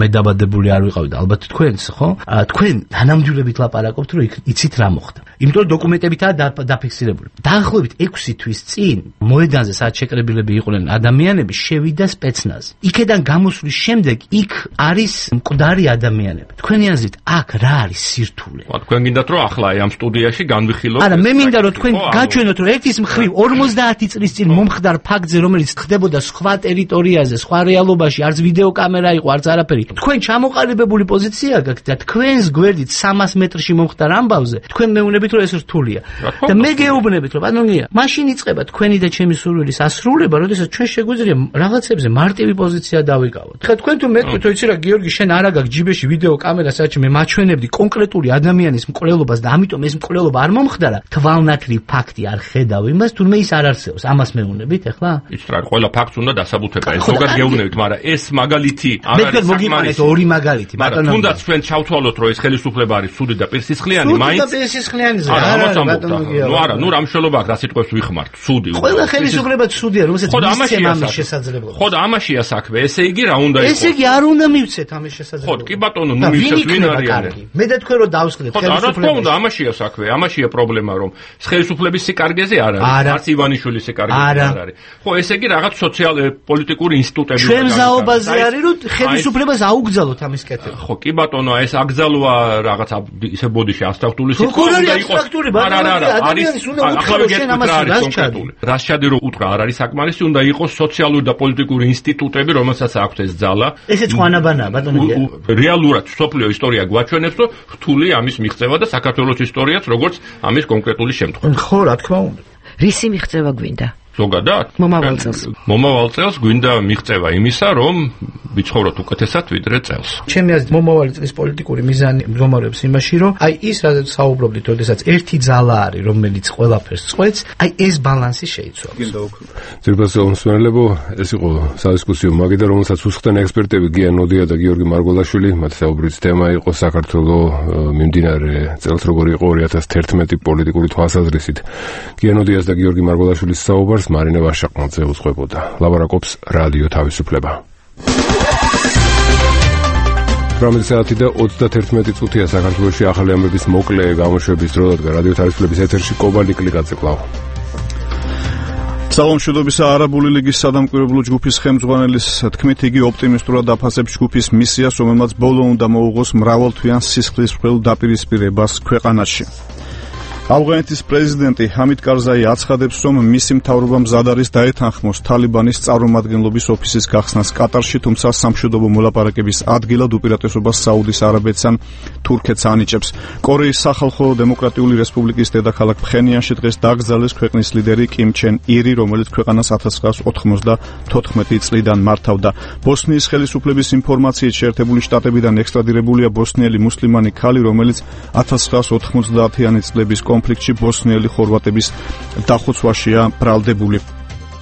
მე დაბადებული არ ვიყავი და ალბათ თქვენც, ხო? თქვენ თანამდებობით ლაპარაკობთ, რომ იცით რა მოხდა. იმიტომ რომ დოკუმენტებითაა დაფიქსირებული. დაახლოებით 6 თვის წინ მოედანზე სადაც შეკრებილები იყვნენ ადამიანები, შევიდა სპეცნაზი. იქედან გამოსვლის შემდეგ იქ არის მკვდარი ადამიანები. თქვენი აზრით, აქ რა არის სირთულე?
თქვენ გინდათ რომ ახლა ამ სტუდიაში განვიხილოთ?
არა, მე მინდა რომ თქვენ გაჩვენოთ რომ ერთის მხრივ 50 წლის წინ მომხდარ ფაქტზე, რომელიც ხდებოდა სხვა ტერიტორიაზე, სხვა რეალობაში, არც ვიდეო კამერა იყო, არც არაფერი. თქვენ ჩამოყალიბებული პოზიცია გაქვთ და თქვენს გვერდით 300 მეტრში მომხდარ ამბავზე, თქვენ მეუბნებით რომ ეს რთულია. და მე გეუბნებით რომ ბატონია, მაშინ იწყება თქვენი და ჩემი სურვილის ასრულება, როდესაც ჩვენ შეგვიძლია რაღაცებზე მარტივი პოზიცია დავიკავოთ. ხა თქვენ თუ მეთქვით, რომ იცი რა, გიორგი, შენ არა გაქვს ჯიბეში ვიდეო კამერა, სადაც მე მაჩვენებდი კონკრეტული ადამიანის მკვლელობას და ამიტომ ეს მკვლელობა არ მომხდარა, თვალნათლივ ფაქტი არ ხედავ იმას, თურმე ის არ არსებობს. ამას მეუბნებით ახლა?
იცით რა, ყველა ფაქტს უნდა დასაბუთება. ეს ზოგადად გეუბნებით, მაგრამ ეს მაგალითი არ
არის საკმარისი. ორი მაგალითი,
ბატონო. თუნდაც ჩვენ ჩავთვალოთ, რომ ეს ხელისუფლება არის ცუდი და პირსისხლიანი, მაინც
ცუდი და პირსისხლიანზე.
ნუ არა, ნუ რა მშელობა აქვს, რა სიტყვებს ვიხმართ, ცუდი.
ყველა ხელისუფლება ცუდია, რომელსაც მისცემა ამის შესაძლებლობა.
ხო და ამაშია საქმე, ესე იგი რა უნდა იყოს?
ესე იგი არ უნდა მივცეთ ამის შესაძლებლობა.
ხო, კი ბატონო, ნუ მივცეთ ვინ არიან.
მე და თქვენ რომ დავსკდეთ
ხელისუფლებას. ხო, და ამაშია საქმე, ამაშია პრობლემა, რომ ხელისუფლების სიკარგეზე არ არის, არც ივანიშვილის სიკარგეზე არ არის. ხო, ესე იგი რაღაც სოციალ-პოლიტიკური ინსტიტუტები უნდა
ჩვენ ზაობაზე არის, რომ ხელისუფლებას აუგზავნოთ ამის კეთება.
ხო, კი ბატონო, ეს აკრძალვა რაღაც ისე ბოდიში აბსტრაქტული
სიტყვა უნდა იყოს. ადამიანის უნდა უთხრა შენ ამას რას ჩადი.
რას ჩადი რომ უთხრა არ არის საკმარისი, უნდა იყოს სოციალური და პოლიტიკური ინსტიტუტები, რომელსაც აქვს ეს ძალა.
ესეც ხვანაბანაა, ბატონო.
რეალურად სოფლიო ისტორია გვაჩვენებს, რომ რთული ამის მიღწევა და საქართველოს ისტორიაც როგორც ამის კონკრეტული შემთხვევა.
ხო, რა თქმა უნდა.
რისი მიღწევა გვინდა?
ზოგადად მომავალ წელს გვინდა მიღწევა იმისა, რომ ვიცხოვროთ უკეთესად ვიდრე წელს.
ჩემი აზრით მომავალი წლის პოლიტიკური მიზანი მდგომარეობს იმაში, რომ აი ის რაც საუბრობდით, როდესაც ერთი ძალა არის, რომელიც ყველაფერს წყვეტს, აი ეს ბალანსი შეიცვალოს.
ძირფასო მსმენელებო, ეს იყო სადისკუსიო მაგიდა, რომელსაც უსხდნენ ექსპერტები გია ნოდია და გიორგი მარგოლაშვილი. მათი საუბრის თემა იყო საქართველოს მიმდინარე წელს როგორი იყო 2011 პოლიტიკური თვალსაზრისით. გია ნოდიას და გიორგი მარგოლაშვილის საუბარს მარინე ვაშაყმაძე უძღვებოდა. ლაპარაკობს რადიო თავისუფლება. 18 საათი და 31 წუთია საქართველოში ახალი ამბების მოკლე გამოშვების დრო და რადიო თავისუფლების ეთერში კობალი კლიკაძე კვლავ.
სამშვიდობისა არაბული ლიგის სადამკვირვებლო ჯგუფის ხელმძღვანელის თქმით, იგი ოპტიმისტურად აფასებს ჯგუფის მისიას, რომელმაც ბოლო უნდა მოუღოს მრავალთვიან სისხლისმღვრელ დაპირისპირებას ქვეყანაში. ავღანეთის პრეზიდენტი ჰამიდ კარზაი აცხადებს, რომ მისი მთავრობა მზად არის დაეთანხმოს თალიბანის წარმომადგენლობის ოფისის გახსნას კატარში, თუმცა სამშვიდობო მოლაპარაკების ადგილად უპირატესობას საუდის არაბეთს ან თურქეთს ანიჭებს. კორეის სახალხო დემოკრატიული რესპუბლიკის დედაქალაქ ფხენიანში დღეს დაკრძალეს ქვეყნის ლიდერი კიმ ჩენ ირი, რომელიც ქვეყანას 1994 წლიდან მართავდა. ბოსნიის ხელისუფლების ინფორმაციით შეერთებული შტატებიდან ექსტრადირებულია ბოსნიელი მუსლიმანი ქალი, რომელიც 1990-იანი წლების კონფლიქტში ბოსნიელი ხორვატების დახოცვაშია ბრალდებული.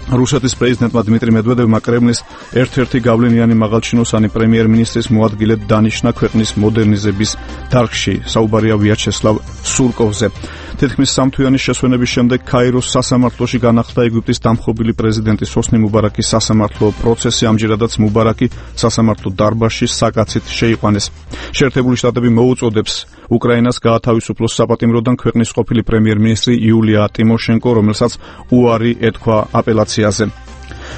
რუსეთის პრეზიდენტმა დმიტრი მედვედევმა კრემლის ერთ-ერთი გავლენიანი მაღალჩინოსანი პრემიერ-მინისტრის მოადგილედ დანიშნა ქვეყნის მოდერნიზების დარგში. საუბარია ვიაჩესლავ სურკოვზე. თითქმის სამთვიანი შესვენების შემდეგ კაიროს სასამართლოში განახლდა ეგვიპტის დამხობილი პრეზიდენტის ჰოსნი მუბარაკის სასამართლო პროცესი. ამჯერადაც მუბარაკი სასამართლო დარბაზში საკაცით შეიყვანეს. შეერთებული შტატები მოუწოდებს უკრაინას გაათავისუფლოს საპატიმროდან ქვეყნის ყოფილი პრემიერ-მინისტრი იულია ტიმოშენკო, რომელსაც უარი ეთქვა აპელაციაზე.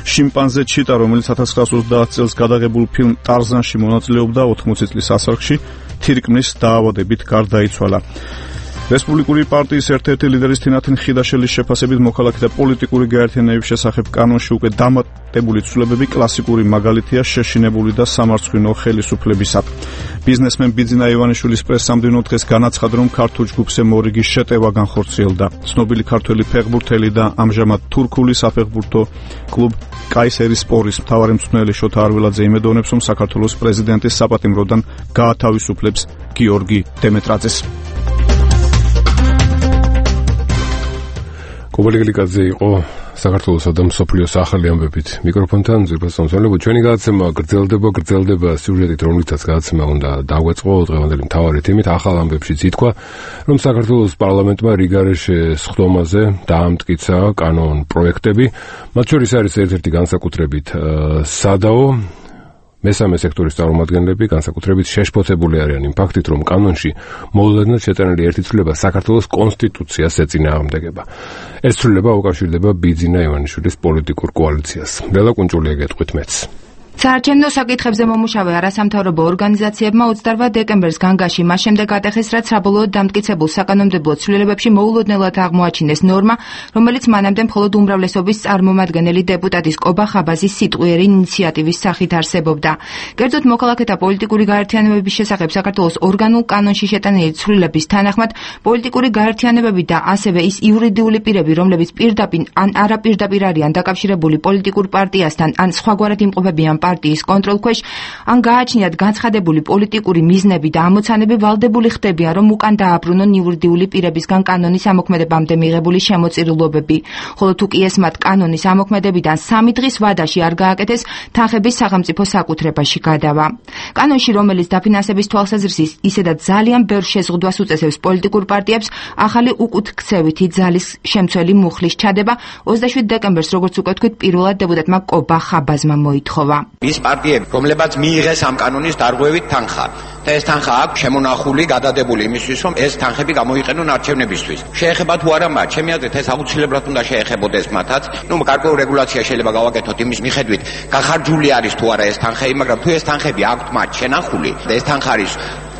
შიმპანზე ჩიტა, რომელიც 1930 წელს გადაღებულ ფილმ ტარზანში მონაწილეობდა, 80 წლის ასაკში თირკმლის დაავადებით გარდაიცვალა. რესპუბლიკური პარტიის ერთ-ერთი ლიდერის თინათინ ხიდაშელის შეფასებით მოქალაქეთა პოლიტიკური გაერთიანების შესახებ კანონში უკვე დამატებული ცვლილებები კლასიკური მაგალითია შეშინებული და სამარცხვინო ხელისუფლებისა. ბიზნესმენ ბიძინა ივანიშვილის პრესამდენო დღეს განაცხადა, რომ ქართულ ჯგუფზე მორიგის შეტევა განხორციელდა. ცნობილი ქართველი ფეხბურთელი და ამჟამად თურქული საფეხბურთო კლუბ კაისერის სპორის მთავარი მწვრთნელი შოთა არველაძე იმედოვნებს, რომ საქართველოს პრეზიდენტის საპატიმროდან გაათავისუფლებს გიორგი დემეტრაძეს. კობალი კლიკაძე იყო
საქართველოსა და მსოფლიოს ახალი ამბებით მიკროფონთან ძვირფას სამსახურებო ჩვენი გადაცემა გრძელდება სიუჟეტით, რომლითაც გადაცემა უნდა დაგვეწყო დღევანდელი მთავარი თემით ახალ ამბებშიც ითქვა, რომ საქართველოს პარლამენტმა რიგარეშე სხდომაზე დაამტკიცა კანონ პროექტები, მათ შორის არის ერთ-ერთი განსაკუთრებით სადაო მესამე სექტორის წარმომადგენლები განსაკუთრებით შეშფოთებული არიან იმ ფაქტით, რომ კანონში მოულოდნელად შეწერილი ერთი ცვლილება საქართველოს კონსტიტუციას ეწინააღმდეგება. ეს ცვლილება უკავშირდება ბიძინა ივანიშვილის პოლიტიკურ კოალიციას. ლელა კუნჭულია გეტყვით მეც.
საარჩევნო საკითხებზე მომუშავე არასამთავრობო ორგანიზაციებმა 28 დეკემბერს განგაში მას შემდეგ ატეხეს, რაც საბოლოოდ დამტკიცებულ საკანონმდებლო ცვლილებებში მოულოდნელად აღმოაჩინეს ნორმა, რომელიც მანამდე მხოლოდ უმრავლესობის წარმომადგენელი დეპუტატის კობა ხაბაზის სიტყვიერი ინიციატივის სახით არსებობდა. კერძოდ, მოქალაქეთა პოლიტიკური გაერთიანებების შესახებ საქართველოს ორგანულ კანონში შეტანილი ცვლილების თანახმად, პოლიტიკური გაერთიანებები და ასევე ის იურიდიული პირები, რომლებიც პირდაპირ ან არაპირდაპირ არიან დაკავშირებული პოლიტიკურ პარტიასთან ან სხვაგვარად იმყოფებიან პარტიის კონტროლქვეშ, ან გააჩნიათ განცხადებული პოლიტიკური მიზნები და ამოცანები, ვალდებული ხდებიან, რომ უკან დააბრუნონ იურიდიული პირებისგან კანონის ამოქმედებამდე მიღებული შემოწირულობები. ხოლო თუ კი ეს მათ კანონის ამოქმედებიდან 3 დღის ვადაში არ გააკეთეს, თანხების სახელმწიფო საკუთრებაში გადავა. კანონში, რომელიც დაფინანსების თვალსაზრისით ისედაც ძალიან ბევრ შეზღუდვას უწესებს პოლიტიკურ პარტიებს, ახალი უკუთქცევითი ძალის შემცველი მუხლის ჩადება 27 დეკემბერს, როგორც უკვე თქვით, პირველად დეპუტატმა კობა ხაბაზმა მოითხოვა.
ის პარტიები, რომლებაც მიიღეს ამ კანონის დარღვევით თანხა და ეს თანხა აქვს შემონახული, გადადებული იმისთვის, რომ ეს თანხები გამოიყენონ არჩევნებისთვის. შეეხება თუ არა მათ, ჩემი აზრით ეს აუცილებლად უნდა შეეხებოდეს მათაც. გარკვეული რეგულაცია შეიძლება გავაკეთოთ იმის მიხედვით, გახარჯული არის თუ არა ეს თანხები, მაგრამ თუ ეს თანხები აქვთ მათ შენახული და ეს თანხა არის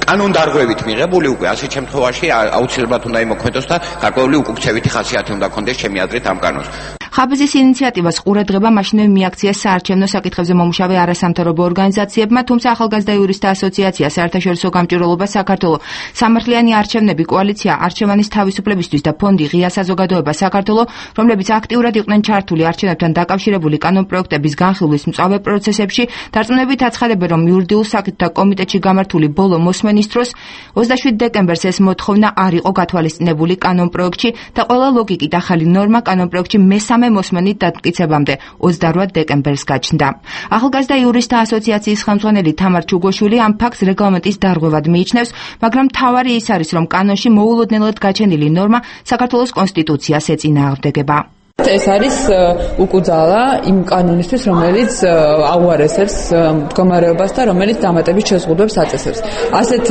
კანონდარღვევით მიღებული, უკვე ასეთ შემთხვევაში აუცილებლად უნდა იმოქმედოს და გარკვეული უკუქცევითი ხასიათი უნდა ქონდეს ჩემი აზრით ამ კანონს.
ხაბაზის ინიციატივას ყურადღება მაშინვე მიაქციეს საარჩევნო საკითხებზე მომუშავე არასამთავრობო ორგანიზაციებმა, თუმცა ახალგაზრდა იურისტთა ასოციაცია, საერთაშორისო გამჭვირვალობა საქართველო, სამართლიანი არჩევნები, კოალიცია არჩევანის თავისუფლებისთვის და ფონდი ღია საზოგადოება საქართველო, რომლებიც აქტიურად იყვნენ ჩართული არჩევნებთან დაკავშირებული კანონპროექტების განხილვის მწვავე პროცესებში, დარწმუნებით აცხადებენ, რომ იურიდიულ საკითხთა კომიტეტში გამართული ბოლო მოსმენის დროს 27 დეკემბერს ეს მოთხოვნა არ იყო გათვალისწინებული კანონპროექტში და ყველა ლოგიკით ახალი ნორმა კანონპროექტში მესამე მოსმენით დამტკიცებამდე 28 დეკემბერს გაჩნდა. ახალგაზრდა იურისტთა ასოციაციის ხელმძღვანელი თამარ ჩუგოშვილი ამ ფაქტს რეგლამენტის დარღვევად მიიჩნევს, მაგრამ მთავარი ის არის, რომ კანონში მოულოდნელად გაჩენილი ნორმა საქართველოს კონსტიტუციას ეწინააღმდეგება.
ეს არის უკუძალა იმ კანონისთვის, რომელიც აუარესებს მდგომარეობას და რომელიც დამატებით შეზღუდვებს აწესებს. ასეთ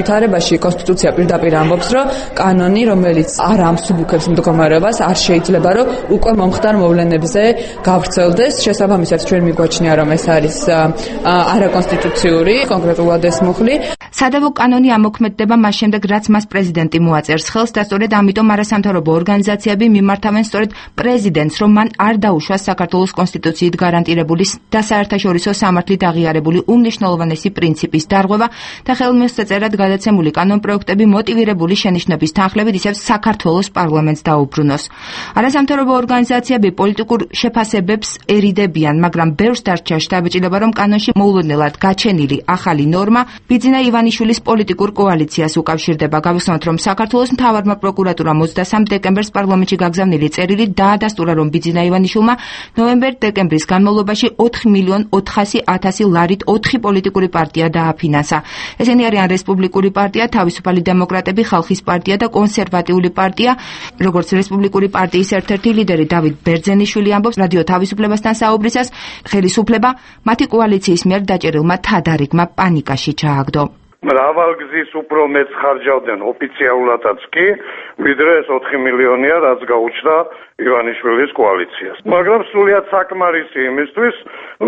ვითარებაში კონსტიტუცია პირდაპირ ამბობს, რომ კანონი, რომელიც არ ამსუბუქებს მდგომარეობას, არ შეიძლება, რომ უკვე მომხდარ მოვლენებზე გავრცელდეს. შესაბამისად, ჩვენ მიგვაჩნია, რომ ეს არის არაკონსტიტუციური, კონკრეტულად ეს მუხლი.
სადავო კანონი ამოქმედდება მას შემდეგ, რაც მას პრეზიდენტი მოაწერს ხელს და სწორედ ამიტომ არასამთავრობო ორგანიზაციები მიმართავენ სწორედ პრეზიდენტს, რომ მან არ დაუშვას საქართველოს კონსტიტუციით გარანტირებული და საერთაშორისო სამართლით აღიარებული უმნიშვნელოვანესი პრინციპის დარღვევა და ხელმისაწვდომად გადაცემული კანონპროექტები მოტივირებული შენიშვნების თანხლებით ისევ საქართველოს პარლამენტს დაუბრუნოს. არასამთავრობო ორგანიზაციები პოლიტიკურ შეფასებებს ერიდებიან, მაგრამ ბევრს დარჩა შთაბეჭდილება, რომ კანონში მოულოდნელად გაჩენილი ახალი ნორმა ბიძინა ივანიშვილის პოლიტიკურ კოალიციას უკავშირდება. გავიხსენოთ, რომ საქართველოს მთავარმა პროკურატურამ 23 დეკემბერს პარლამენტში გაგზავნილი წერილი დაადასტურა, რომ ბიძინა ივანიშვილმა ნოემბერ-დეკემბრის განმავლობაში 4.400.000 ლარით 4 პოლიტიკური პარტია დააფინანსა. ესენი არიან რესპუბლიკური პარტია, თავისუფალი დემოკრატები, ხალხის პარტია და კონსერვატიული პარტია. როგორც რესპუბლიკური პარტიის ერთ-ერთი ლიდერი დავით ბერძენიშვილი ამბობს რადიო თავისუფლებასთან საუბრისას, ხელისუფლება მათი კოალიციის მიერ დაჭერილმა თადარიგმა პანიკაში ჩააგდო.
მრავალგზის უფრო მეც ხარჯავდნენ ოფიციალურადაც კი, ვიდრე ეს 4 მილიონია, რაც გაუჩნდა ივანიშვილის კოალიციას. მაგრამ სრულიად საკმარისი იმისთვის,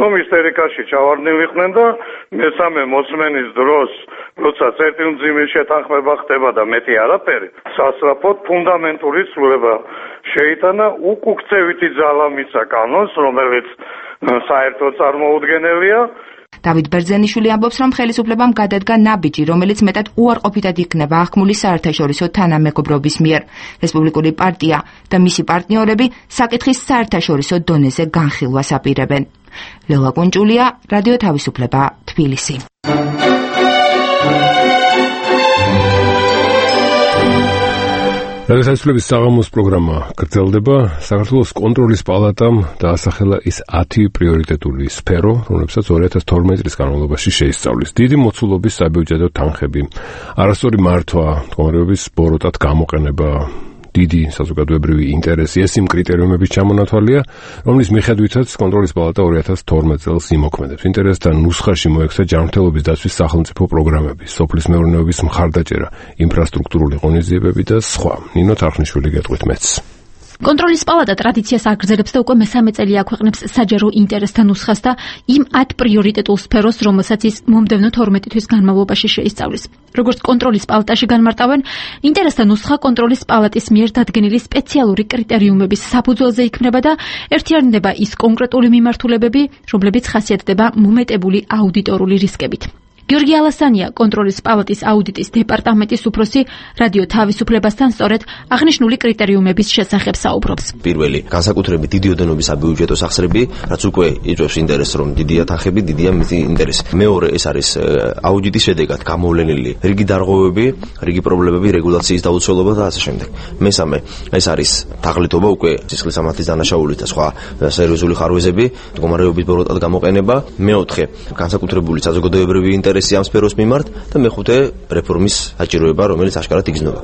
რომ ისტერიკაში ჩავარდნილიყვნენ და მესამე მოსმენის დროს, როცა წერტილმძიმის შეთანხმება ხდება და მეტი არაფერი, სასწრაფოდ ფუნდამენტური ცვლილება შეიტანა, უკუქცევითი ძალა მისცა კანონს, რომელიც საერთოდ წარმოუდგენელია.
დავით ბერძენიშვილი ამბობს, რომ ხელისუფლებამ გადადგა ნაბიჯი, რომელიც მეტად უარყოფითად იქნება აღქმული საერთაშორისო თანამეგობრობის მიერ. რესპუბლიკური პარტია და მისი პარტნიორები საკითხის საერთაშორისო დონეზე განხილვას აპირებენ. ლელა კუნჭულია, რადიო თავისუფლება, თბილისი.
რადიოთაისულების საღამოს პროგრამა გრძელდება. საქართველოს კონტროლის პალატამ დაასახელა ის 10 პრიორიტეტული სფერო, რომლებსაც 2012 წლის განმავლობაში შეისწავლის. დიდი მოცულობის საბიუჯეტო თანხები, არასწორი მართვა, მდგომარეობის ბოროტად გამოყენება, დიდი საზოგადოებრივი ინტერესი, ეს იმ კრიტერიუმების ჩამონათვალია, რომლის მიხედვითაც კონტროლის პალატა 2012 წელს იმოქმედებს. ინტერესთა ნუსხაში მოექცა ჯანმრთელობის დაცვის სახელმწიფო პროგრამები, სოფლის მეურნეობის მხარდაჭერა, ინფრასტრუქტურული ღონისძიებები და სხვა. ნინო თარხნიშვილი გეტყვით მეც.
კონტროლის პალატა ტრადიციას აგრძელებს და უკვე მე-3 წელი აქვეყნებს საჯარო ინტერესთა ნუსხას და იმ 10 პრიორიტეტულ სფეროს, რომელსაც ის მომდევნო 12 თვის განმავლობაში შეისწავლის. როგორც კონტროლის პალატაში განმარტავენ, ინტერესთა ნუსხა კონტროლის პალატის მიერ დადგენილი სპეციალური კრიტერიუმების საფუძველზე იქმნება და ერთიანდება ის კონკრეტული მიმართულებები, რომლებიც ხასიათდება მომეტებული აუდიტორული რისკებით. გიორგი ალასანია, კონტროლის პალატის აუდიტის დეპარტამენტის უფროსი, რადიო თავისუფლებასთან სწორედ აღნიშნული კრიტერიუმების შესახებ საუბრობს.
პირველი, განსაკუთრებით დიდი ოდენობის საბიუჯეტო სახსრები, რაც უკვე იწვევს ინტერესს, რომ დიდია თანხები, დიდია მათი ინტერესი. მეორე, ეს არის აუდიტის შედეგად გამოვლენილი რიგი დარღვევები, რიგი პრობლემები, რეგულაციის დაუცველობა და ასე შემდეგ. მესამე, ეს არის თაღლითობა, უკვე სისხლის სამართლის დანაშაულის და სხვა სერიოზული ხარვეზები, მდგომარეობის ბოროტად გამოყენება. მეოთხე, განსაკუთრებული საზოგადოებრივი ინტერესი ამ სფეროს მიმართ და მეხუთე რეფორმის საჭიროება, რომელიც აშკარად იგრძნობა.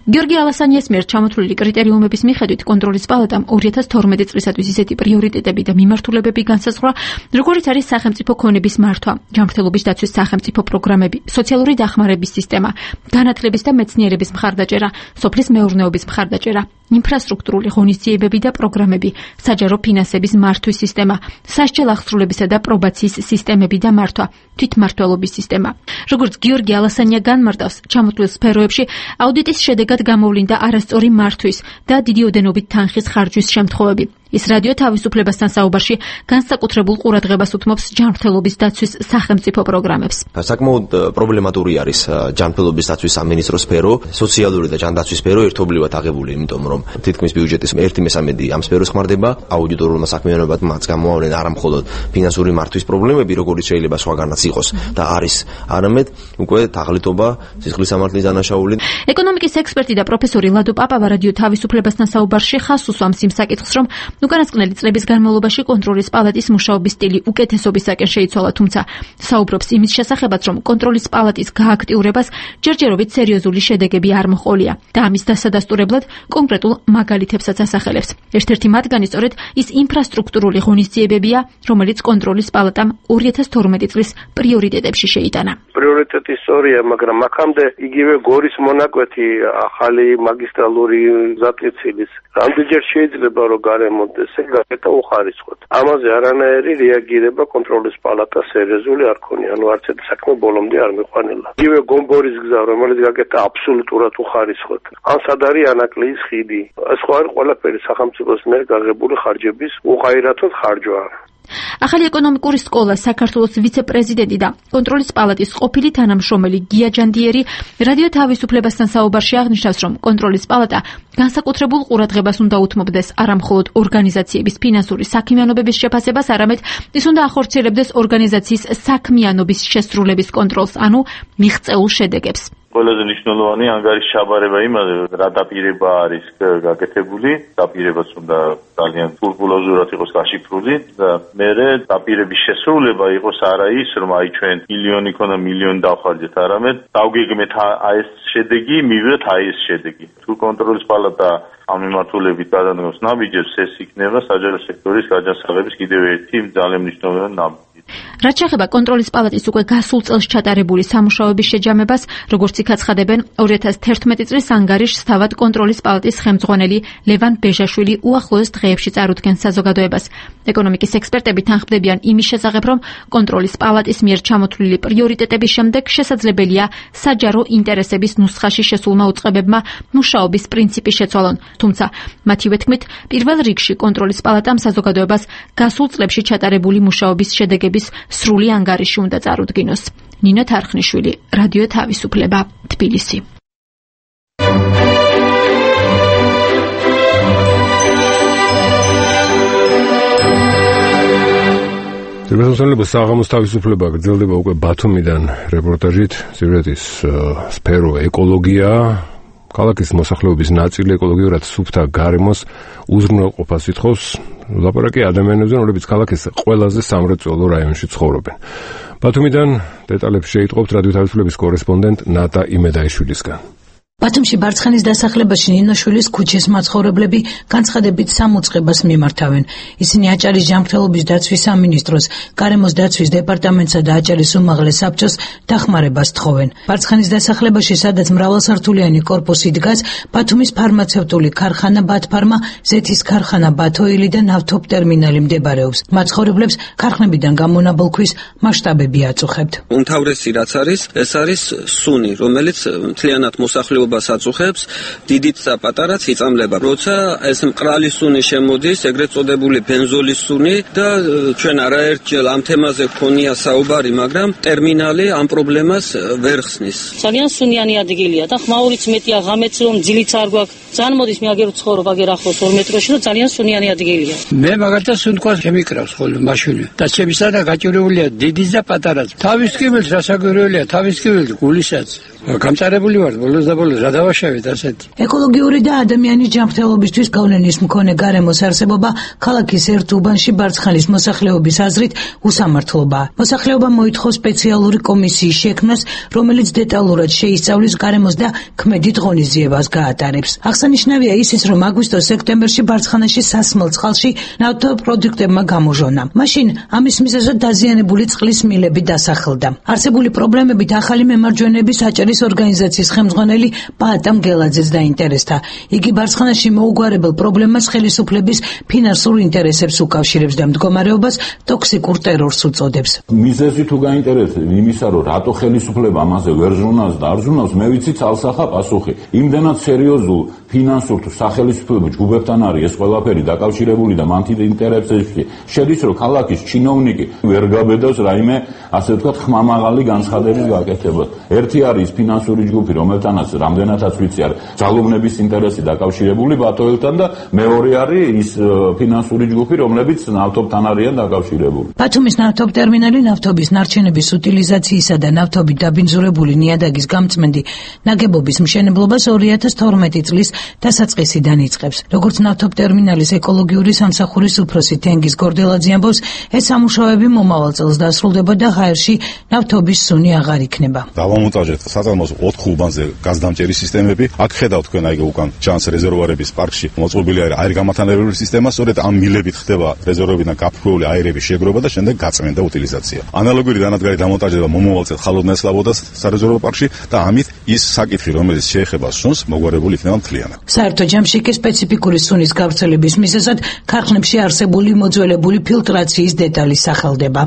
გიორგი ალასანიას მიერ ჩამოთვლილი კრიტერიუმების მიხედვით კონტროლის პალატამ 2012 წლისათვის ისეთი პრიორიტეტები და მიმართულებები განსაზღვრა, როგორიც არის სახელმწიფო ქონების მართვა, ჯანმრთელობის დაცვის სახელმწიფო პროგრამები, სოციალური დახმარების სისტემა, განათლების და მეცნიერების მხარდაჭერა, სოფლის მეურნეობის მხარდაჭერა, ინფრასტრუქტურული ღონისძიებები და პროგრამები, საჯარო ფინანსების მართვის სისტემა, სასჯელ აღსრულებისა და პრობაციის სისტემები და მართვა, თვითმმართველობის სისტემა. როგორც გიორგი ალასანია განმარტავს, ჩამოთვლილ სფეროებში აუდიტის შედეგად გამოვლინდა არასწორი მართვის და დიდი ოდენობით თანხის ხარჯვის შემთხვევები. ის რადიო თავისუფლებასთან საუბარში განსაკუთრებულ ყურადღებას უთმობს ჯანმრთელობის დაცვის სახელმწიფო პროგრამებს.
საკმაოდ პრობლემატური არის ჯანმრთელობის დაცვის სამინისტრო სფერო, სოციალური და ჯანდაცვის სფერო ერთობლივად აღებული, იმიტომ რომ თითქმის ბიუჯეტის 1/3 ამ სფეროს ხმარდება აუდიტორულმა საქმიანობამ მათ გამოავლენ არა მხოლოდ ფინანსური მართვის პრობლემები, როგორც შეიძლება სხვაგანაც იყოს და არის, არამედ უკვე თაღლითობა, სისხლის სამართლის დანაშაული.
ეკონომიკის ექსპერტი და პროფესორი ლადო პაპავა რადიო თავისუფლებასთან საუბარში ხაზს უსვამს იმ საკითხს, რომ უკანასკნელი წლების განმავლობაში კონტროლის პალატის მუშაობის სტილი უკეთესობისაკენ შეიცვალა, თუმცა საუბრობს იმის შესახებაც, რომ კონტროლის პალატის გააქტიურებას ჯერჯერობით სერიოზული შედეგები არ მოჰყოლია და ამის დასადასტურებლად კონკრეტულ მაგალითებსაც ასახელებს. ერთ-ერთი მათგანი სწორედ ის ინფრასტრუქტურული ღონისძიებებია, რომელიც კონტროლის პალატამ 2012 წლის პრიორიტეტებში შეიტანა.
პრიორიტეტი სწორია, მაგრამ აქამდე იგივე გორის მონაკვეთი ახალი მაგისტრალური გზატკეცილის რამდენჯერ შეიძლება რომ გარემონტდეს გაკეთა უხარისხოთ. ამაზე არანაირი რეაგირება კონტროლის პალატას სერიოზული არ ქონია, ანუ არც ერთი საქმე ბოლომდე არ მიყვანილა. იგივე გომბორის გზა, რომელიც გაკეთა აბსოლუტურად უხარისხოთ. ან სად არის ანაკლიის ხიდი. ეს ხო არის ყველაფერი სახელმწიფოს მიერ გაღებული ხარჯების უღაირათოდ ხარჯვა.
ახალი ეკონომიკური სკოლა საქართველოს ვიცე-პრეზიდენტი და კონტროლის პალატის ყოფილი თანამშრომელი გია ჯანდიერი რადიო თავისუფლებასთან საუბარში აღნიშნავს, რომ კონტროლის პალატა განსაკუთრებულ ყურადღებას უნდა უთმობდეს არა მხოლოდ ორგანიზაციების ფინანსური საქმიანობების შეფასებას, არამედ ის უნდა ახორციელებდეს ორგანიზაციის საქმიანობის შესრულების კონტროლს, ანუ მიღწეულ შედეგებს.
ყველაზე მნიშვნელოვანი ანგარიშის ჩაბარება იმაზე, რა დაპირება არის გაკეთებული, დაპირებას უნდა ძალიან სკრუპულოზურად იყოს გაშიფრული და მერე დაპირების შესრულება იყოს არა ის, რომ აი ჩვენ მილიონი ქონა მილიონი დავხარჯეთ, არამედ დავგეგმეთ აი ეს შედეგი, მივიღეთ აი ეს შედეგი. თუ კონტროლის პალატა ამ მიმართულებით გადადგოს ნაბიჯებს, ეს იქნება საჯარო სექტორის გაჯანსაღების კიდევ ერთი ძალიან მნიშვნელოვანი ნაბიჯი.
რაც შეეხება კონტროლის პალატის უკვე გასულ წელს ჩატარებული სამუშაოების შეჯამებას, როგორც იქ აცხადებენ 2011 წლის ანგარიშს თავად კონტროლის პალატის ხელმძღვანელი ლევან ბეჟაშვილი უახლოეს დღეებში წარუდგენს საზოგადოებას. ეკონომიკის ექსპერტები თანხმდებიან იმის შესახებ, რომ კონტროლის პალატის მიერ ჩამოთვლილი პრიორიტეტების შემდეგ შესაძლებელია საჯარო ინტერესების ნუსხაში შესულმა უწყებებმა მუშაობის პრინციპი შეცვალონ. თუმცა მათივე თქმით, პირველ რიგში კონტროლის პალატამ საზოგადოებას გასულ წლებში ჩატარებული მუშაობის შედეგების სრული ანგარიში უნდა წარუდგინოს. ნინო თარხნიშვილი, რადიო თავისუფლება, თბილისი.
Ძირფასმოსავლების საღამოს თავისუფლება გრძელდება უკვე ბათუმიდან რეპორტაჟით. სიუჟეტის სფერო ეკოლოგია, ქალაქის მოსახლეობის ნაწილი ეკოლოგიურად სუფთა გარემოს უზრუნველყოფას ითხოვს. ლაპარაკი ადამიანებზე, რომლებიც ქალაქის ყველაზე სამრეწველო რაიონში ცხოვრობენ. ბათუმიდან დეტალებს შეიტყობთ რადიო თავისუფლების კორესპონდენტ ნატა იმედაიშვილისგან.
ბათუმში ბარცხანის დასახლებაში ნინოშვილის ქუჩის მაცხოვრებლები განცხადებით სამუწყებას მიმართავენ. ისინი აჭარის ჯანმრთელობის დაცვის სამინისტროს, გარემოს დაცვის დეპარტამენტსა და აჭარის უმაღლეს საბჭოს დახმარებას თხოვენ. ბარცხანის დასახლებაში, სადაც მრავალსართულიანი კორპუსი დგას, ბათუმის ფარმაცევტული ქარხანა ბათფარმა, ზეთის ქარხანა ბათოილი და ნავთობტერმინალი მდებარეობს. მაცხოვრებლებს ქარხნებიდან გამონაბოლქვის მასშტაბები აწუხებთ.
უმთავრესი რაც არის, ეს არის სუნი, რომელიც მთლიანად მოსახლეობას აწუხებს, დიდიც და პატარაც იწამლება. როცა ეს მყრალი სუნი შემოდის, ეგრეთ წოდებული ბენზოლის სუნი და ჩვენ არაერთჯერ ამ თემაზე გქონია საუბარი, მაგრამ ტერმინალი ამ პრობლემას ვერ ხსნის.
ძალიან სუნიანი ადგილია და ხმაურიც მეტია, ღამეც რომ ძილიც არ გვაქვს. ძალიან მოდის მე აგერ ვცხოვრობ აგერ ახლოს 2 მეტროში და ძალიან სუნიანი ადგილია.
მე მაგალითად სუნთქვას შემიკრავს ხოლმე მაშინი და ჩემისანა გაჭირებულია დიდიც და პატარაც. თავის კიბილს რასაგვირველია, თავის კიბილს გულისაც. გამწარებული ვარ ბოლოს და ბოლოს რა დავაშავეთ ასეთი.
ეკოლოგიური და ადამიანის ჯანმრთელობისთვის გავლენის მქონე გარემოს არსებობა ქალაქის ერთ უბანში ბარცხანის მოსახლეობის აზრით უსამართლობაა. მოსახლეობა მოითხოვს სპეციალური კომისიის შექმნას, რომელიც დეტალურად შეისწავლის გარემოს და ქმედით ღონისძიებას გაატარებს. აღსანიშნავია ისიც, რომ აგვისტო-სექტემბერში ბარცხანაში სასმელ წყალში ნავთობპროდუქტებმა გამოჟონა. მაშინ ამის მიზეზად დაზიანებული წყლის მილები დასახლდა. არსებული პრობლემებით ახალი მემარჯვენეების აჭარის ორგანიზაციის ხელმძღვანელი პაატამ გელაძეს დაინტერესდა. იგი ბარცხანაში მოუგვარებელ პრობლემას ხელისუფლების ფინანსურ ინტერესებს უკავშირებს და მდგომარეობას ტოქსიკურ ტერორს უწოდებს.
მიზეზი თუ გაინტერესებს იმისა, რომ რატო ხელისუფლება ამაზე ვერ ზრუნავს და არ ზრუნავს, მე ვიცი ცალსახა პასუხი. იმდენად სერიოზულ ფინანსურ თუ სახელმწიფო ჯგუფებთან არის ეს ყველაფერი დაკავშირებული და მათი ინტერესებში შედის, რომ ქალაქის ჩინოვნიკი ვერ გაბედავს რაიმე, ასე ვთქვათ, ხმამაღალი განცხადების გაკეთება. ერთი არის ფინანსური ჯგუფი, რომელთანაც რამდენადაც ვიცი არის ძალოვნების ინტერესი დაკავშირებული ბათოელთან და მეორე არის ის ფინანსური ჯგუფი, რომლებიც ნავთობთან არიან დაკავშირებული.
ბათუმის ნავთობტერმინალი ნავთობის ნარჩენების უტილიზაციისა და ნავთობით დაბინძურებული ნიადაგის გამწმენდი ნაგებობის მშენებლობას 2012 წლის დასაწყისიდან იწყებს. როგორც ნავთობტერმინალის ეკოლოგიური სამსახურის უფროსი თენგიზ გორდელაძე ამბობს, ეს სამუშაოები მომავალ წელს დასრულდება და ღაერში ნავთობის სუნი აღარ იქნება.
დავამონტაჟეთ საწარმოს 4 უბანზე გაზდამჭერი სისტემები. აქ ხედავთ თქვენ აი უკან ჩანს რეზერვუარების პარკში მოწყობილი აირგამათანებელური სისტემა, სწორედ ამ მილებით ხდება რეზერვუარებიდან გაფრქვეული აირების შეგროვა და შემდეგ გაწმენდა უტილიზაცია. ანალოგური დანადგარი დამონტაჟება მომავალ წელს ხალხოვნების სლაბოდას სარეზერვო პარკში და ამით ის საკითხი, რომელიც შეეხება სუნს, მოგვარებული იქნება მთლიანად.
საერთო ჯამში კი სპეციფიკური სუნის გავრცელების მიზეზად ქარხნებში არსებული მოძველებული ფილტრაციის დეტალი სახელდება.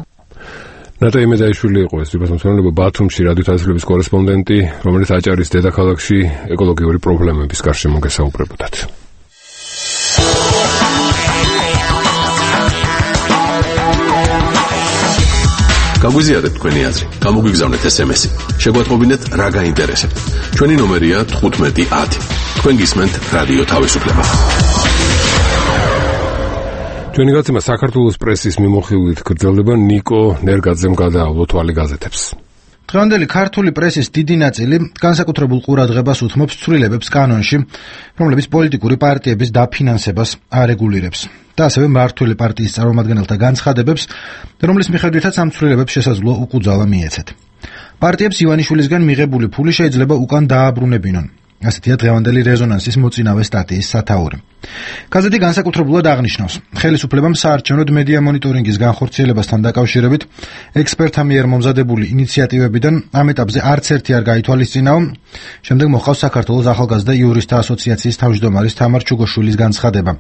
ნატა იმედაიშვილი იყო ეს თვითმფრინავი ბათუმში რადიო თავისუფლების კორესპონდენტი, რომელიც აჭარის დედაქალაქში ეკოლოგიური პრობლემების გარშემო გესაუბრებოდათ.
გაგვიზიარეთ თქვენი აზრი, გამოგვიგზავნეთ SMS-ი. შეგვატყობინეთ რა გაინტერესებთ. ჩვენი ნომერია 1510. თქვენ გისმენთ რადიო თავისუფლება. ჩვენი გაცემა საქართველოს პრესის მიმოხილვით გრძელდება. ნიკო ნერგაძემ გადაავლო თვალი გაზეთებს.
დღევანდელი ქართული პრესის დიდი ნაწილი განსაკუთრებულ ყურადღებას უთმობს ცვლილებებს კანონში, რომლებიც პოლიტიკური პარტიების დაფინანსებას არეგულირებს და ასევე მმართველი პარტიის წარმომადგენელთა განცხადებებს, რომლის მიხედვითაც ამ ცვლილებებს შესაძლოა უკუძალა მიეცეთ. პარტიებს ივანიშვილისგან მიღებული ფული შეიძლება უკან დააბრუნებინონ. ასეთია დღევანდელი რეზონანსის მოწინავე სტატიის სათაური. გაზეთი განსაკუთრებულად აღნიშნავს, ხელისუფლებამ საარჩევნო მედია მონიტორინგის განხორციელებასთან დაკავშირებით ექსპერტთა მიერ მომზადებული ინიციატივებიდან ამ ეტაპზე არც ერთი არ გაითვალისწინაო. შემდეგ მოხავს საქართველოს ახალგაზრდა იურისტთა ასოციაციის თავმჯდომარის თამარ ჩუგოშვილის განცხადება.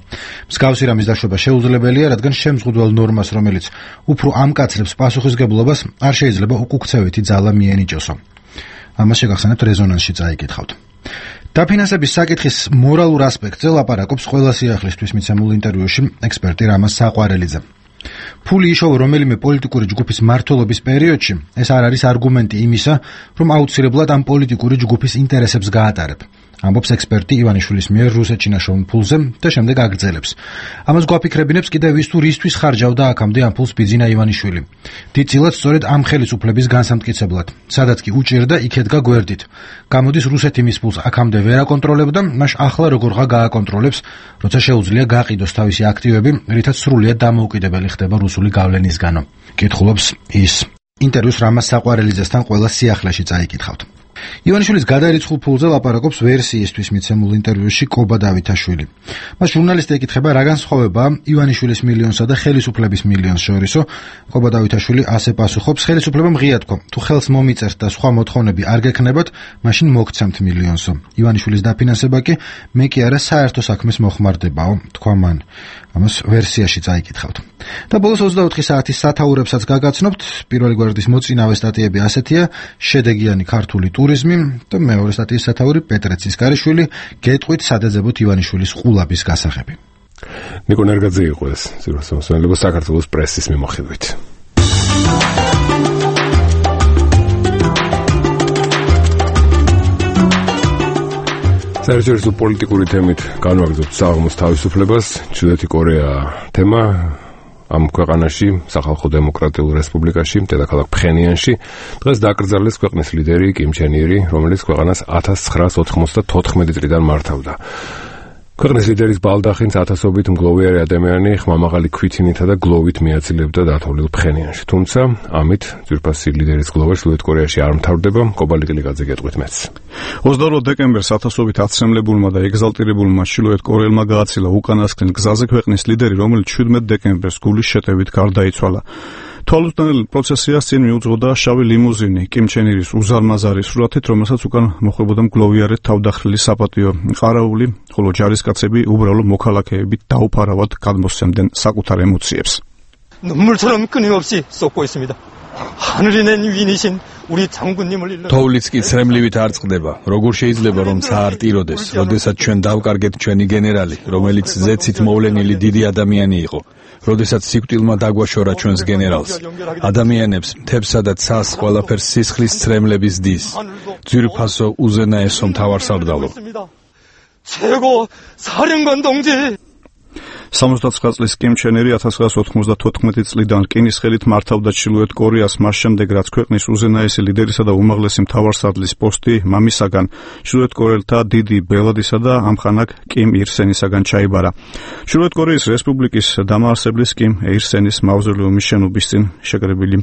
მსგავსი რამის დაშვება შეუძლებელია, რადგან შემზღუდველ ნორმას, რომელიც უფრო ამკაცრებს პასუხისგებლობას, არ შეიძლება უკუქცევითი ძალა მიენიჭოსო. ამას შეგახსენებთ რეზონანსში წაიკითხავთ. დაფინანსების საკითხის მორალურ ასპექტზე ლაპარაკობს ყველა სიახლისთვის მიცემულ ინტერვიუში ექსპერტი რამაზ საყვარელიძე. ფული იშოვა რომელიმე პოლიტიკური ჯგუფის მმართველობის პერიოდში, ეს არ არის არგუმენტი იმისა, რომ აუცილებლად ამ პოლიტიკური ჯგუფის ინტერესებს გაატარებ. ამბობს ექსპერტი ივანიშვილის მიერ რუსეთში ნაშოვნ ფულზე და შემდეგ აგრძელებს. ამას გვაფიქრებინებს კიდევ ვის თუ რისთვის ხარჯავდა აქამდე ამ ფულს ბიძინა ივანიშვილი. დიდწილად სწორედ ამ ხელისუფლების განსამტკიცებლად, სადაც კი უჭირდა იქედგა გვერდით. გამოდის რუსეთი მის ფულს აქამდე ვერ აკონტროლებდა, მაშ ახლა როგორღა გააკონტროლებს, როცა შეუძლია გააყიდოს თავისი აქტივები, რითაც სრულიად დამოუკიდებელი ხდება რუსული გავლენისგანო. კითხულობს ის. ინტერვიუს რამაზ საყვარელიძესთან ყველა სიახლეში წაიკითხავთ. ივანიშვილის გადარიცხულ ფულზე ლაპარაკობს ვერსიისთვის მიცემულ ინტერვიუში კობა დავითაშვილი. მას ჟურნალისტი ეკითხება, რა განსხვავებაა ივანიშვილის მილიონსა და ხელისუფლების მილიონს შორისო. კობა დავითაშვილი ასე პასუხობს, ხელისუფლებამ ღია თქვა, თუ ხელს მომიწერთ და სხვა მოთხოვნები არ გექნებათ, მაშინ მოგცემთ მილიონსო. ივანიშვილის დაფინანსება კი მე კი არა საერთო საქმის მოხმარდებაო, თქვა მან. ამას ვერსიაში წაიკითხავთ. და ბოლოს 24 საათის სათაურებსაც გაგაცნობთ. პირველი გვერდის მოწინავე სტატიები ასეთია: შედეგიანი ქართული ტურიზმი და მეორე სტატიის სათაური პეტრე ცისკარიშვილი გეტყვით სადეძებოთ ივანიშვილის ყულაბის გასაღები.
ნიკო ნერგაძე იყო ეს ძირფასმოსვენელობა საქართველოს პრესის მიმოხილვით. საერთაშორისო პოლიტიკური თემით განვაგრძობთ საღამოს თავისუფლებას. ჩრდილოეთი კორეა თემა ამ ქვეყანაში, სახალხო დემოკრატიულ რესპუბლიკაში, დედაქალაქ ფხენიანში, დღეს დაკრძალეს ქვეყნის ლიდერი კიმ ჩენ ირი, რომელიც ქვეყანას 1994 წლიდან მართავდა. ქვეყნის ლიდერის ბალდახინს ათასობით მგლოვიარი ადამიანი ხმამაღალი ქვითინითა და გლოვით მიაცილებდა დათვლილ ფხენიანში. თუმცა, ამით ძვირფასი ლიდერის გლოვა ჩრდილოეთ კორეაში არ მთავრდება. კობალი კილიკაძე გეტყვით მეც.
28 დეკემბერს ათასობით აცემლებულმა და ეგზალტირებულმა ჩრდილოეთ კორეელმა გააცილა უკანასკნელ გზაზე ქვეყნის ლიდერი, რომელიც 17 დეკემბერს გულის შეტევით გარდაიცვალა. თვალუსწინებელ პროცესიას წინ მიუძღოდა შავი ლიმუზინი კიმ ჩენ ირის უზარმაზარი სურათით, რომელსაც უკან მოხვდებოდა მგლოვიარეთ თავდახრილი საპატიო ყარაული, ხოლო ჯარისკაცები უბრალო მოქალაქეებით დაუფარავად გადმოსცემდნენ საკუთარ ემოციებს.
눈물처럼 끊임없이 쏟고 있습니다. 하늘이 낸 위인이신 우리 장군님을 일러
თოვლიც კი ცრემლივით არ წყდება. როგორ შეიძლება რომ საარტიროდეს, როდესაც ჩვენ დავკარგეთ ჩვენი გენერალი, რომელიც ზეცით მოვლენილი დიდი ადამიანი იყო. როდესაც სიკვდილმა დაგვაშორა ჩვენს გენერალს. ადამიანებს, მთებსა და ცას ყველაფერს სისხლის ცრემლების დის. ძვირფასო უზენაესო მთავარსარდალო.
최고 사령관 동지
79 წლის კიმ ჩენ ირი 1994 წლიდან რკინის ხელით მართავდა ჩრდილოეთ კორეას, მას შემდეგ რაც ქვეყნის უზენაესი ლიდერისა და უმაღლესი მთავარსარდლის პოსტი მამისაგან ჩრდილოეთ კორეელთა დიდი ბელადისა და ამხანაგ კიმ ირ სენისაგან ჩაიბარა. ჩრდილოეთ კორეის რესპუბლიკის დამაარსებლის კიმ ირ სენის მავზოლეუმის შენობის წინ შეკრებილი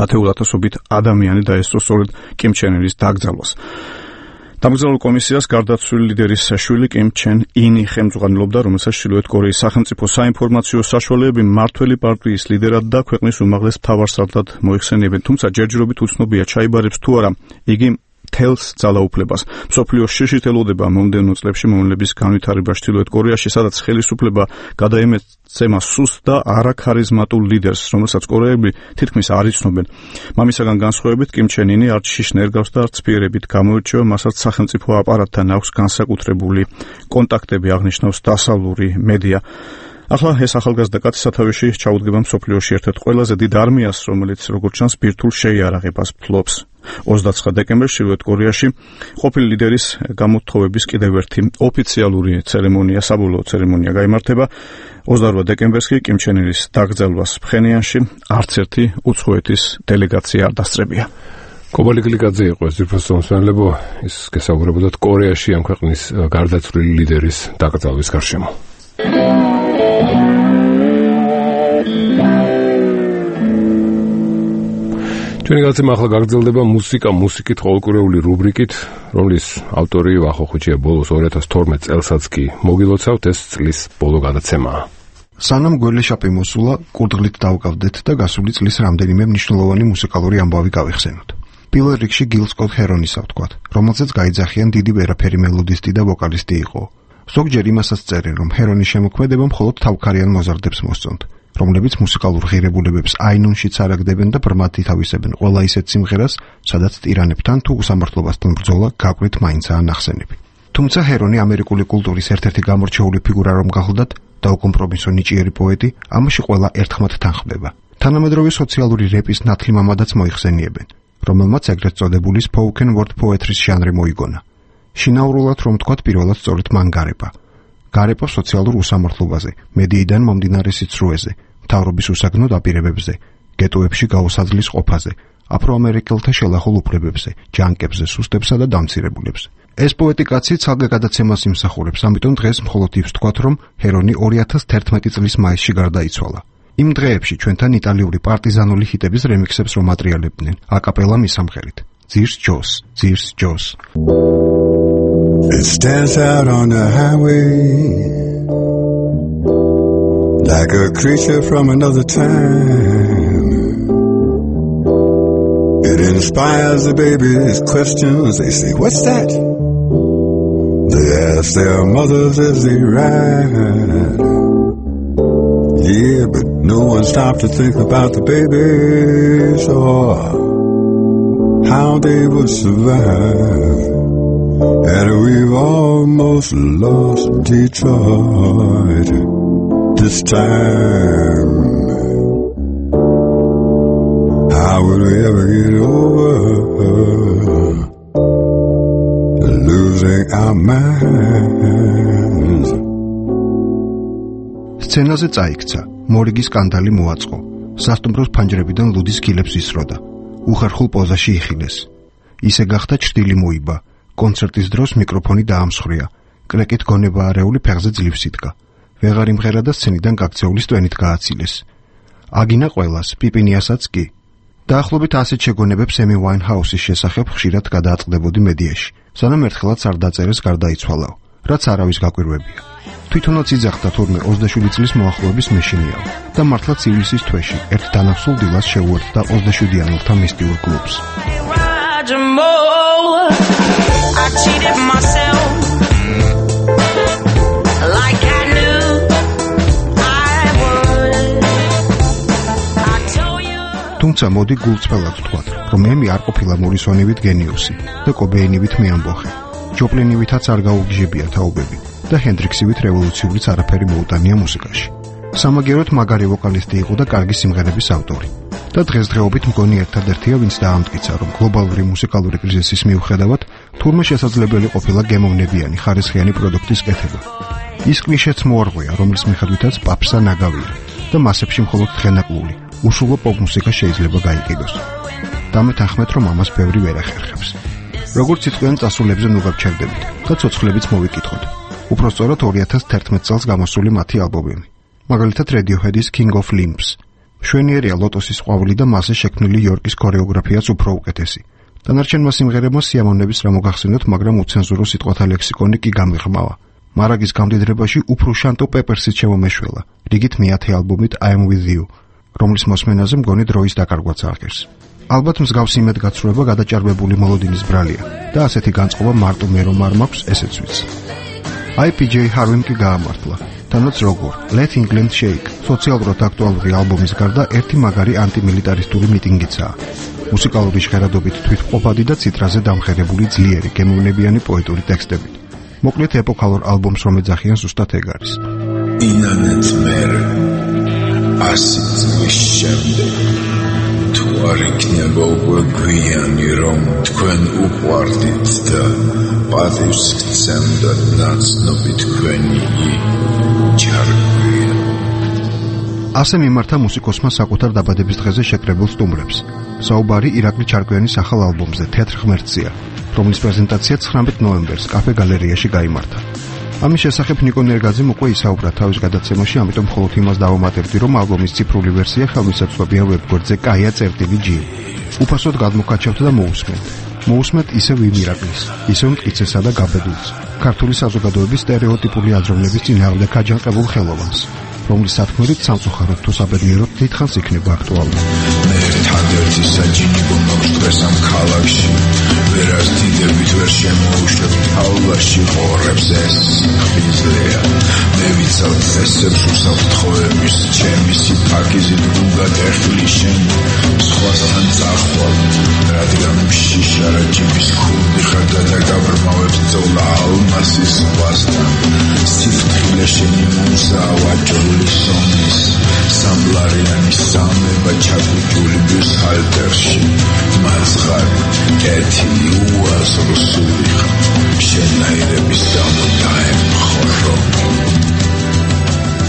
ათეულათასობით ადამიანი დაესწრო სწორედ კიმ ჩენ ირის დაკრძალვას. დამგზავრებულ კომისიას გარდაცვლილი ლიდერის შვილი კიმ ჩენ ინი ხელმძღვანელობდა, რომელსაც ჩრდილოეთ კორეის სახელმწიფო საინფორმაციო საშუალებები მმართველი პარტიის ლიდერად და ქვეყნის უმაღლეს მთავარსარდლად მოიხსენიებენ, თუმცა ჯერჯერობით უცნობია ჩაიბარებს თუ არა იგი თელს ძალაუფლებას. მსოფლიოს შიშით ელოდება მომდევნო წლებში მოვლენების განვითარება ჩრდილოეთ კორეაში, სადაც ხელისუფლება გადაემეცემა სუსტ და არაქარიზმატულ ლიდერს, რომელსაც კორეელები თითქმის არ იცნობენ. მამისაგან განსხვავებით, კიმ ჩენ ინი არც შიშ ნერგავს და არც ცფიერებით გამოირჩევა, მასაც სახელმწიფო აპარატთან აქვს განსაკუთრებული კონტაქტები, აღნიშნავს დასავლური მედია. ახლა ეს ახალგაზრდა კაცი სათავეში ჩაუდგება მსოფლიოში ერთ-ერთ ყველაზე დიდ არმიას, რომელიც როგორც ჩანს ბირთვულ შეიარაღებას ფლობს. 29 დეკემბერს ჩრდილოეთ კორეაში ყოფილი ლიდერის გამოთხოვების კიდევ ერთი ოფიციალური ცერემონია, საბოლოო ცერემონია გაიმართება. 28 დეკემბერს კი კიმ ჩენ ირის დაკრძალვას ფხენიანში არც ერთი უცხოეთის დელეგაცია არ დასწრებია.
კობალი კილიკაძე იყო ეს ძირფასო მსმენელებო, ის გესაუბრებოდათ კორეაში ამ ქვეყნის გარდაცვლილი ლიდერის დაკრძალვის გარშემო. ჩვენი გაცემა ახლა გაგრძელდება მუსიკით ყოველკვირეული რუბრიკით, რომლის ავტორი ვახო ხუჩია ბოლოს 2012 წელსაც კი მოგილოცავთ, ეს წლის ბოლო გადაცემაა.
სანამ გველეშაპი მოსულა, კურდღლით დავკავდეთ და გასული წლის რამდენიმე მნიშვნელოვანი მუსიკალური ამბავი გავიხსენოთ. პირველ რიგში გილ სკოტ ჰერონის ავთქვათ, რომელზეც გაიძახიან დიდი ვერაფერი მელოდისტი და ვოკალისტი იყო. ზოგჯერ იმასაც წერენ, რომ ჰერონის შემოქმედება მხოლოდ თავქარიან მოზარდებს მოსწონთ, რომლებიც მუსიკალურ ღირებულებებს აინუნშიც არაგდებენ და ბრმად ითავისებენ ყველა ისეთ სიმღერას, სადაც ტირანებთან თუ უსამართლობასთან ბრძოლა გაკვეთ მაინცაა ნახსენები. თუმცა ჰერონი ამერიკული კულტურის ერთ-ერთი გამორჩეული ფიგურა რომ გახლდათ და უკომპრომისო ნიჭიერი პოეტი, ამაში ყველა ერთხმად თანხმდება. თანამედროვე სოციალური რეპის ნათლი მამადაც მოიხსენიებენ, რომელმაც ეგრეთ წოდებული spoken word poetry-ს ჟანრი მოიგონა. შინაურულად რომ თქვათ პირველად სწორედ მან გარება. გარება სოციალურ უსამართლობაზე, მედიიდან მომდინარე სიცრუეზე, მთავრობის უსაგნო დაპირებებზე, გეტოებში გაუსაძლის ყოფაზე, აფროამერიკელთა შელახულ უფლებებზე, ჯანკებზე, სუსტებსა და დამცირებულებს. ეს პოეტი კაცი ცალკე გადაცემას იმსახურებს, ამიტომ დღეს მხოლოდ ის ვთქვათ, რომ ჰერონი 2011 წლის მაისში გარდაიცვალა. იმ დღეებში ჩვენთან იტალიური პარტიზანული ჰიტების რემიქსებს რომ ატრიალებდნენ, აკაპელა მისამღერით. ძირს ჯოს, ძირს ჯოს.
It stands out on the highway like a creature from another time. It inspires the babies' questions. They say, what's that? They ask their mothers as they ride. Yeah, but no one stopped to think about the babies or how they would survive. And we've almost lost Detroit this time. How will we ever get over losing our minds?
სცენაზე წაიქცა, მორიგის სკანდალი მოაწყო, სასტუმროს ფანჯრებიდან ლუდის ქილებს ისროდა, უხერხულ პოზაში იხილეს. ისე გახდა ჭრილი მოიბა, კონცერტის დროს მიკროფონი დაამსხვრია, კრეკით გონება არეული ფეხზე ძლივს იდგა, ვეღარ იმღერა და სცენიდან გაქცეულის ტვენით გააცილეს. აგინა ყველას, პიპინიასაც კი. დაახლოებით ასეთ შეგონებებს ემი ვაინჰაუსის შესახებ ხშირად გადააწყდებოდი მედიაში, სანამ ერთხელაც არ დაწერეს გარდაიცვალაო, რაც არავის გაკვირვებია. თვითონაც იძახდა თურმე 27 წლის მოახლოების მეშინიაო და მართლაც ივლისის თვეში ერთ დანახსულ დილას შეუერთდა 27-იანელთა მისტიურ კლუბს.
I cheated myself like I knew I would. I told you.
თუმცა მოდი გულწრფელად ვთქვათ, რომ ემი არ ყოფილა მორისონივით გენიუსი და კობეინივით მეამბოხე. ჯოპლინივითაც არ გაუგიჟებია თაობები და ჰენდრიქსივით რევოლუციურიც არაფერი მოუტანია მუსიკაში. სამაგეროდ მაგარი ვოკალისტი იყო და კარგი სიმღერების ავტორი. და დღესდღეობით მგონი ერთადერთია, ვინც დაამტკიცა, რომ გლობალური მუსიკალური კრიზისის მიუხედავად თურმე შესაძლებელი ყოფილა გემოვნებიანი ხარისხიანი პროდუქტის კეთება. ის კლიშეც მოარღვია, რომლის მიხედვითაც პაპსა ნაგავია და მასებში მხოლოდ თხენაკლული, უშულო პოპ მუსიკა შეიძლება გაიყიდოს. დამეთანხმეთ, რომ ამას ბევრი ვერ ახერხებს. როგორც იტყვიან წასულებზე ნუ გავჩერდებით და ცოცხლებიც მოვიკითხოთ. უფრო სწორად 2011 წელს გამოსული მათი ალბომები. მაგალითად Radiohead-ის King of Limbs. მშვენიერია ლოტოსის ყვავილი და მასზე შექმნილი იორკის ქორეოგრაფიაც უფრო უკეთესი. დანარჩენმა სიმღერებმა სიამოვნების რა მოგახსენოთ, მაგრამ უცენზურო სიტყვათა ლექსიკონი კი გამიღრმავა. მარაგის გამდიდრებაში უფრო შანტო პეპერსიც შემომეშველა, რიგით მეათე ალბომით I Am With You, რომლის მოსმენაზე მგონი დროის დაკარგვაც აღგერს. ალბათ მსგავს იმედგაცრუება გადაჭარბებული მოლოდინის ბრალია და ასეთი განწყობა მარტო მე რომ არ მაქვს, ესეც ვიცი. IPJ Harvim კი გაამართლა. თანაც როგორ Let England Shake სოციალურად აქტუალური ალბომის გარდა ერთი მაგარი ანტიმილიტარისტული მიტინგიცაა. მუსიკალური ჟღერადობით თვითმყოფადი და ციტრაზე დამხერებული ძლიერი გემოვნებიანი პოეტური ტექსტებით. მოკლედ ეპოქალურ ალბომს რომ ეძახიან ზუსტად ეგ არის.
ინანეთ მერ ასი წლის შემდეგ თუ არ იქნება უკვე გვიანი რომ თქვენ უყვარდით და პატივს გცემდათ ნაცნობი თქვენი ჩარგვია.
ასე მიმართა მუსიკოსმა საკუთარ დაბადების დღეზე შეკრებილ სტუმრებს. საუბარი ირაკლი ჩარკვიანის ახალ ალბომზე თეატრ ღმერთზეა, რომლის პრეზენტაცია 19 ნოემბერს კაფე გალერეაში გაიმართა. ამის შესახებ ნიკო ნერგაძემ უკვე ისაუბრა თავის გადაცემაში, ამიტომ მხოლოდ იმას დავამატებდი, რომ ალბომის ციფრული ვერსია ხელმისაწვდომია ვებგვერდზე kaya.gi. უფასოდ გადმოგკაჩავთ და მოусმენთ. მოусმენთ ისევ იმ ირაკლის, ისევ მტკიცესა და გაბედულს, ქართული საზოგადოების სტერეოტიპული აზროვნების წინააღმდეგ აჯანყებულ ხელოვანს, რომლის სათქმელით სამწუხაროდ თუ საბედნიეროდ დიდხანს იქნება აქტუალური.
მე ერთადერთი საჯინი გვაქვს დღეს ამ ქალაქში, ვერას დიდებით ვერ შემოუშვებ თაობაში ყორებს ეს ხიზლია. მე ვიცავ წესებს უსაფრთხოების, ჩემი სიფაქიზი დრუნგად ეხლი შენ სხვასთან წახვალ, რადგან შიშარა ჯიბის ქურდი ხარდა და გაბრმავებს წოლა ალმასის ზღვასთან. სიფრთხილე შენი მუსაა ვაჭრული სომის, სამბლარიანი სამება ჩაგუჭული ბიუსჰალტერში, მაცხარი კეთი უაზროსული ხარ. შენაირების დამონდაე მხორო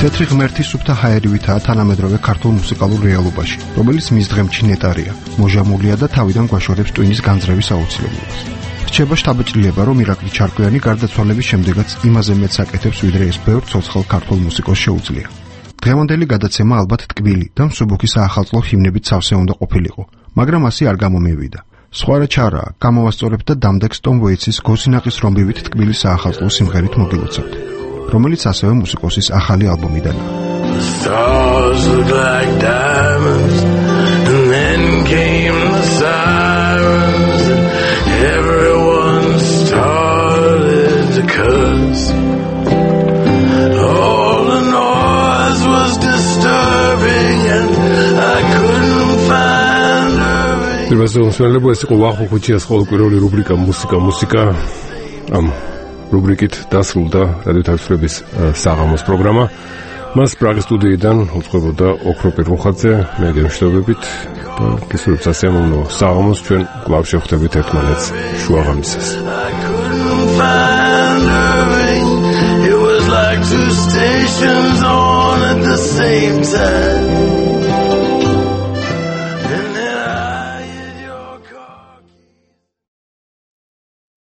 თეთრი ღმერთი სუფთა ჰაერივითაა თანამედროვე ქართულ მუსიკალურ რეალობაში, რომელიც მისდღემში ნეტარია, მოჟამულია და თავიდან გვაშორებს ტვინის განძრევის აუცილებლობას. რჩება შთაბეჭდილება, რომ ირაკლი ჩარკვიანი გარდაცვალების შემდეგაც იმაზე მეც აკეთებს, ვიდრე ეს ბევრ ცოცხალ ქართულ მუსიკოს შეუძლია. დღევანდელი გადაცემა ალბათ ტკბილი და მსუბუქი საახალწლო ჰიმნებით სავსე უნდა ყოფილიყო, მაგრამ ასე არ გამომივიდა. სხვა რა ჩარაა, გამოვასწორებთ და დამდეგს ტომ ვეიცის გოსინაყის რომბივით ტკბილი საახალწლო სიმღერით მოგილოცავთ, რომელიც ასევე მუსიკოსის ახალი ალბომიდანაა.
Stars look like diamonds, and then came the sirens, and everyone started to curse. All the noise was disturbing, and I couldn't find her.
Პირველსვენელებ ეს იყო ვახო ხუჩიას ყოველკვირეული რუბრიკა მუსიკა. ამ რუბრიკით დასრულდა რადიო თავისუფლების საღამოს პროგრამა. მას პრაღის სტუდიიდან უწყობოდა ოქრო პირმუხაძე, მე გემშვიდობებით და გისურვებთ სასიამოვნო საღამოს, ჩვენ კვლავ შევხვდებით ერთმანეთს შუაღამისას.
It was like two stations on at the same time.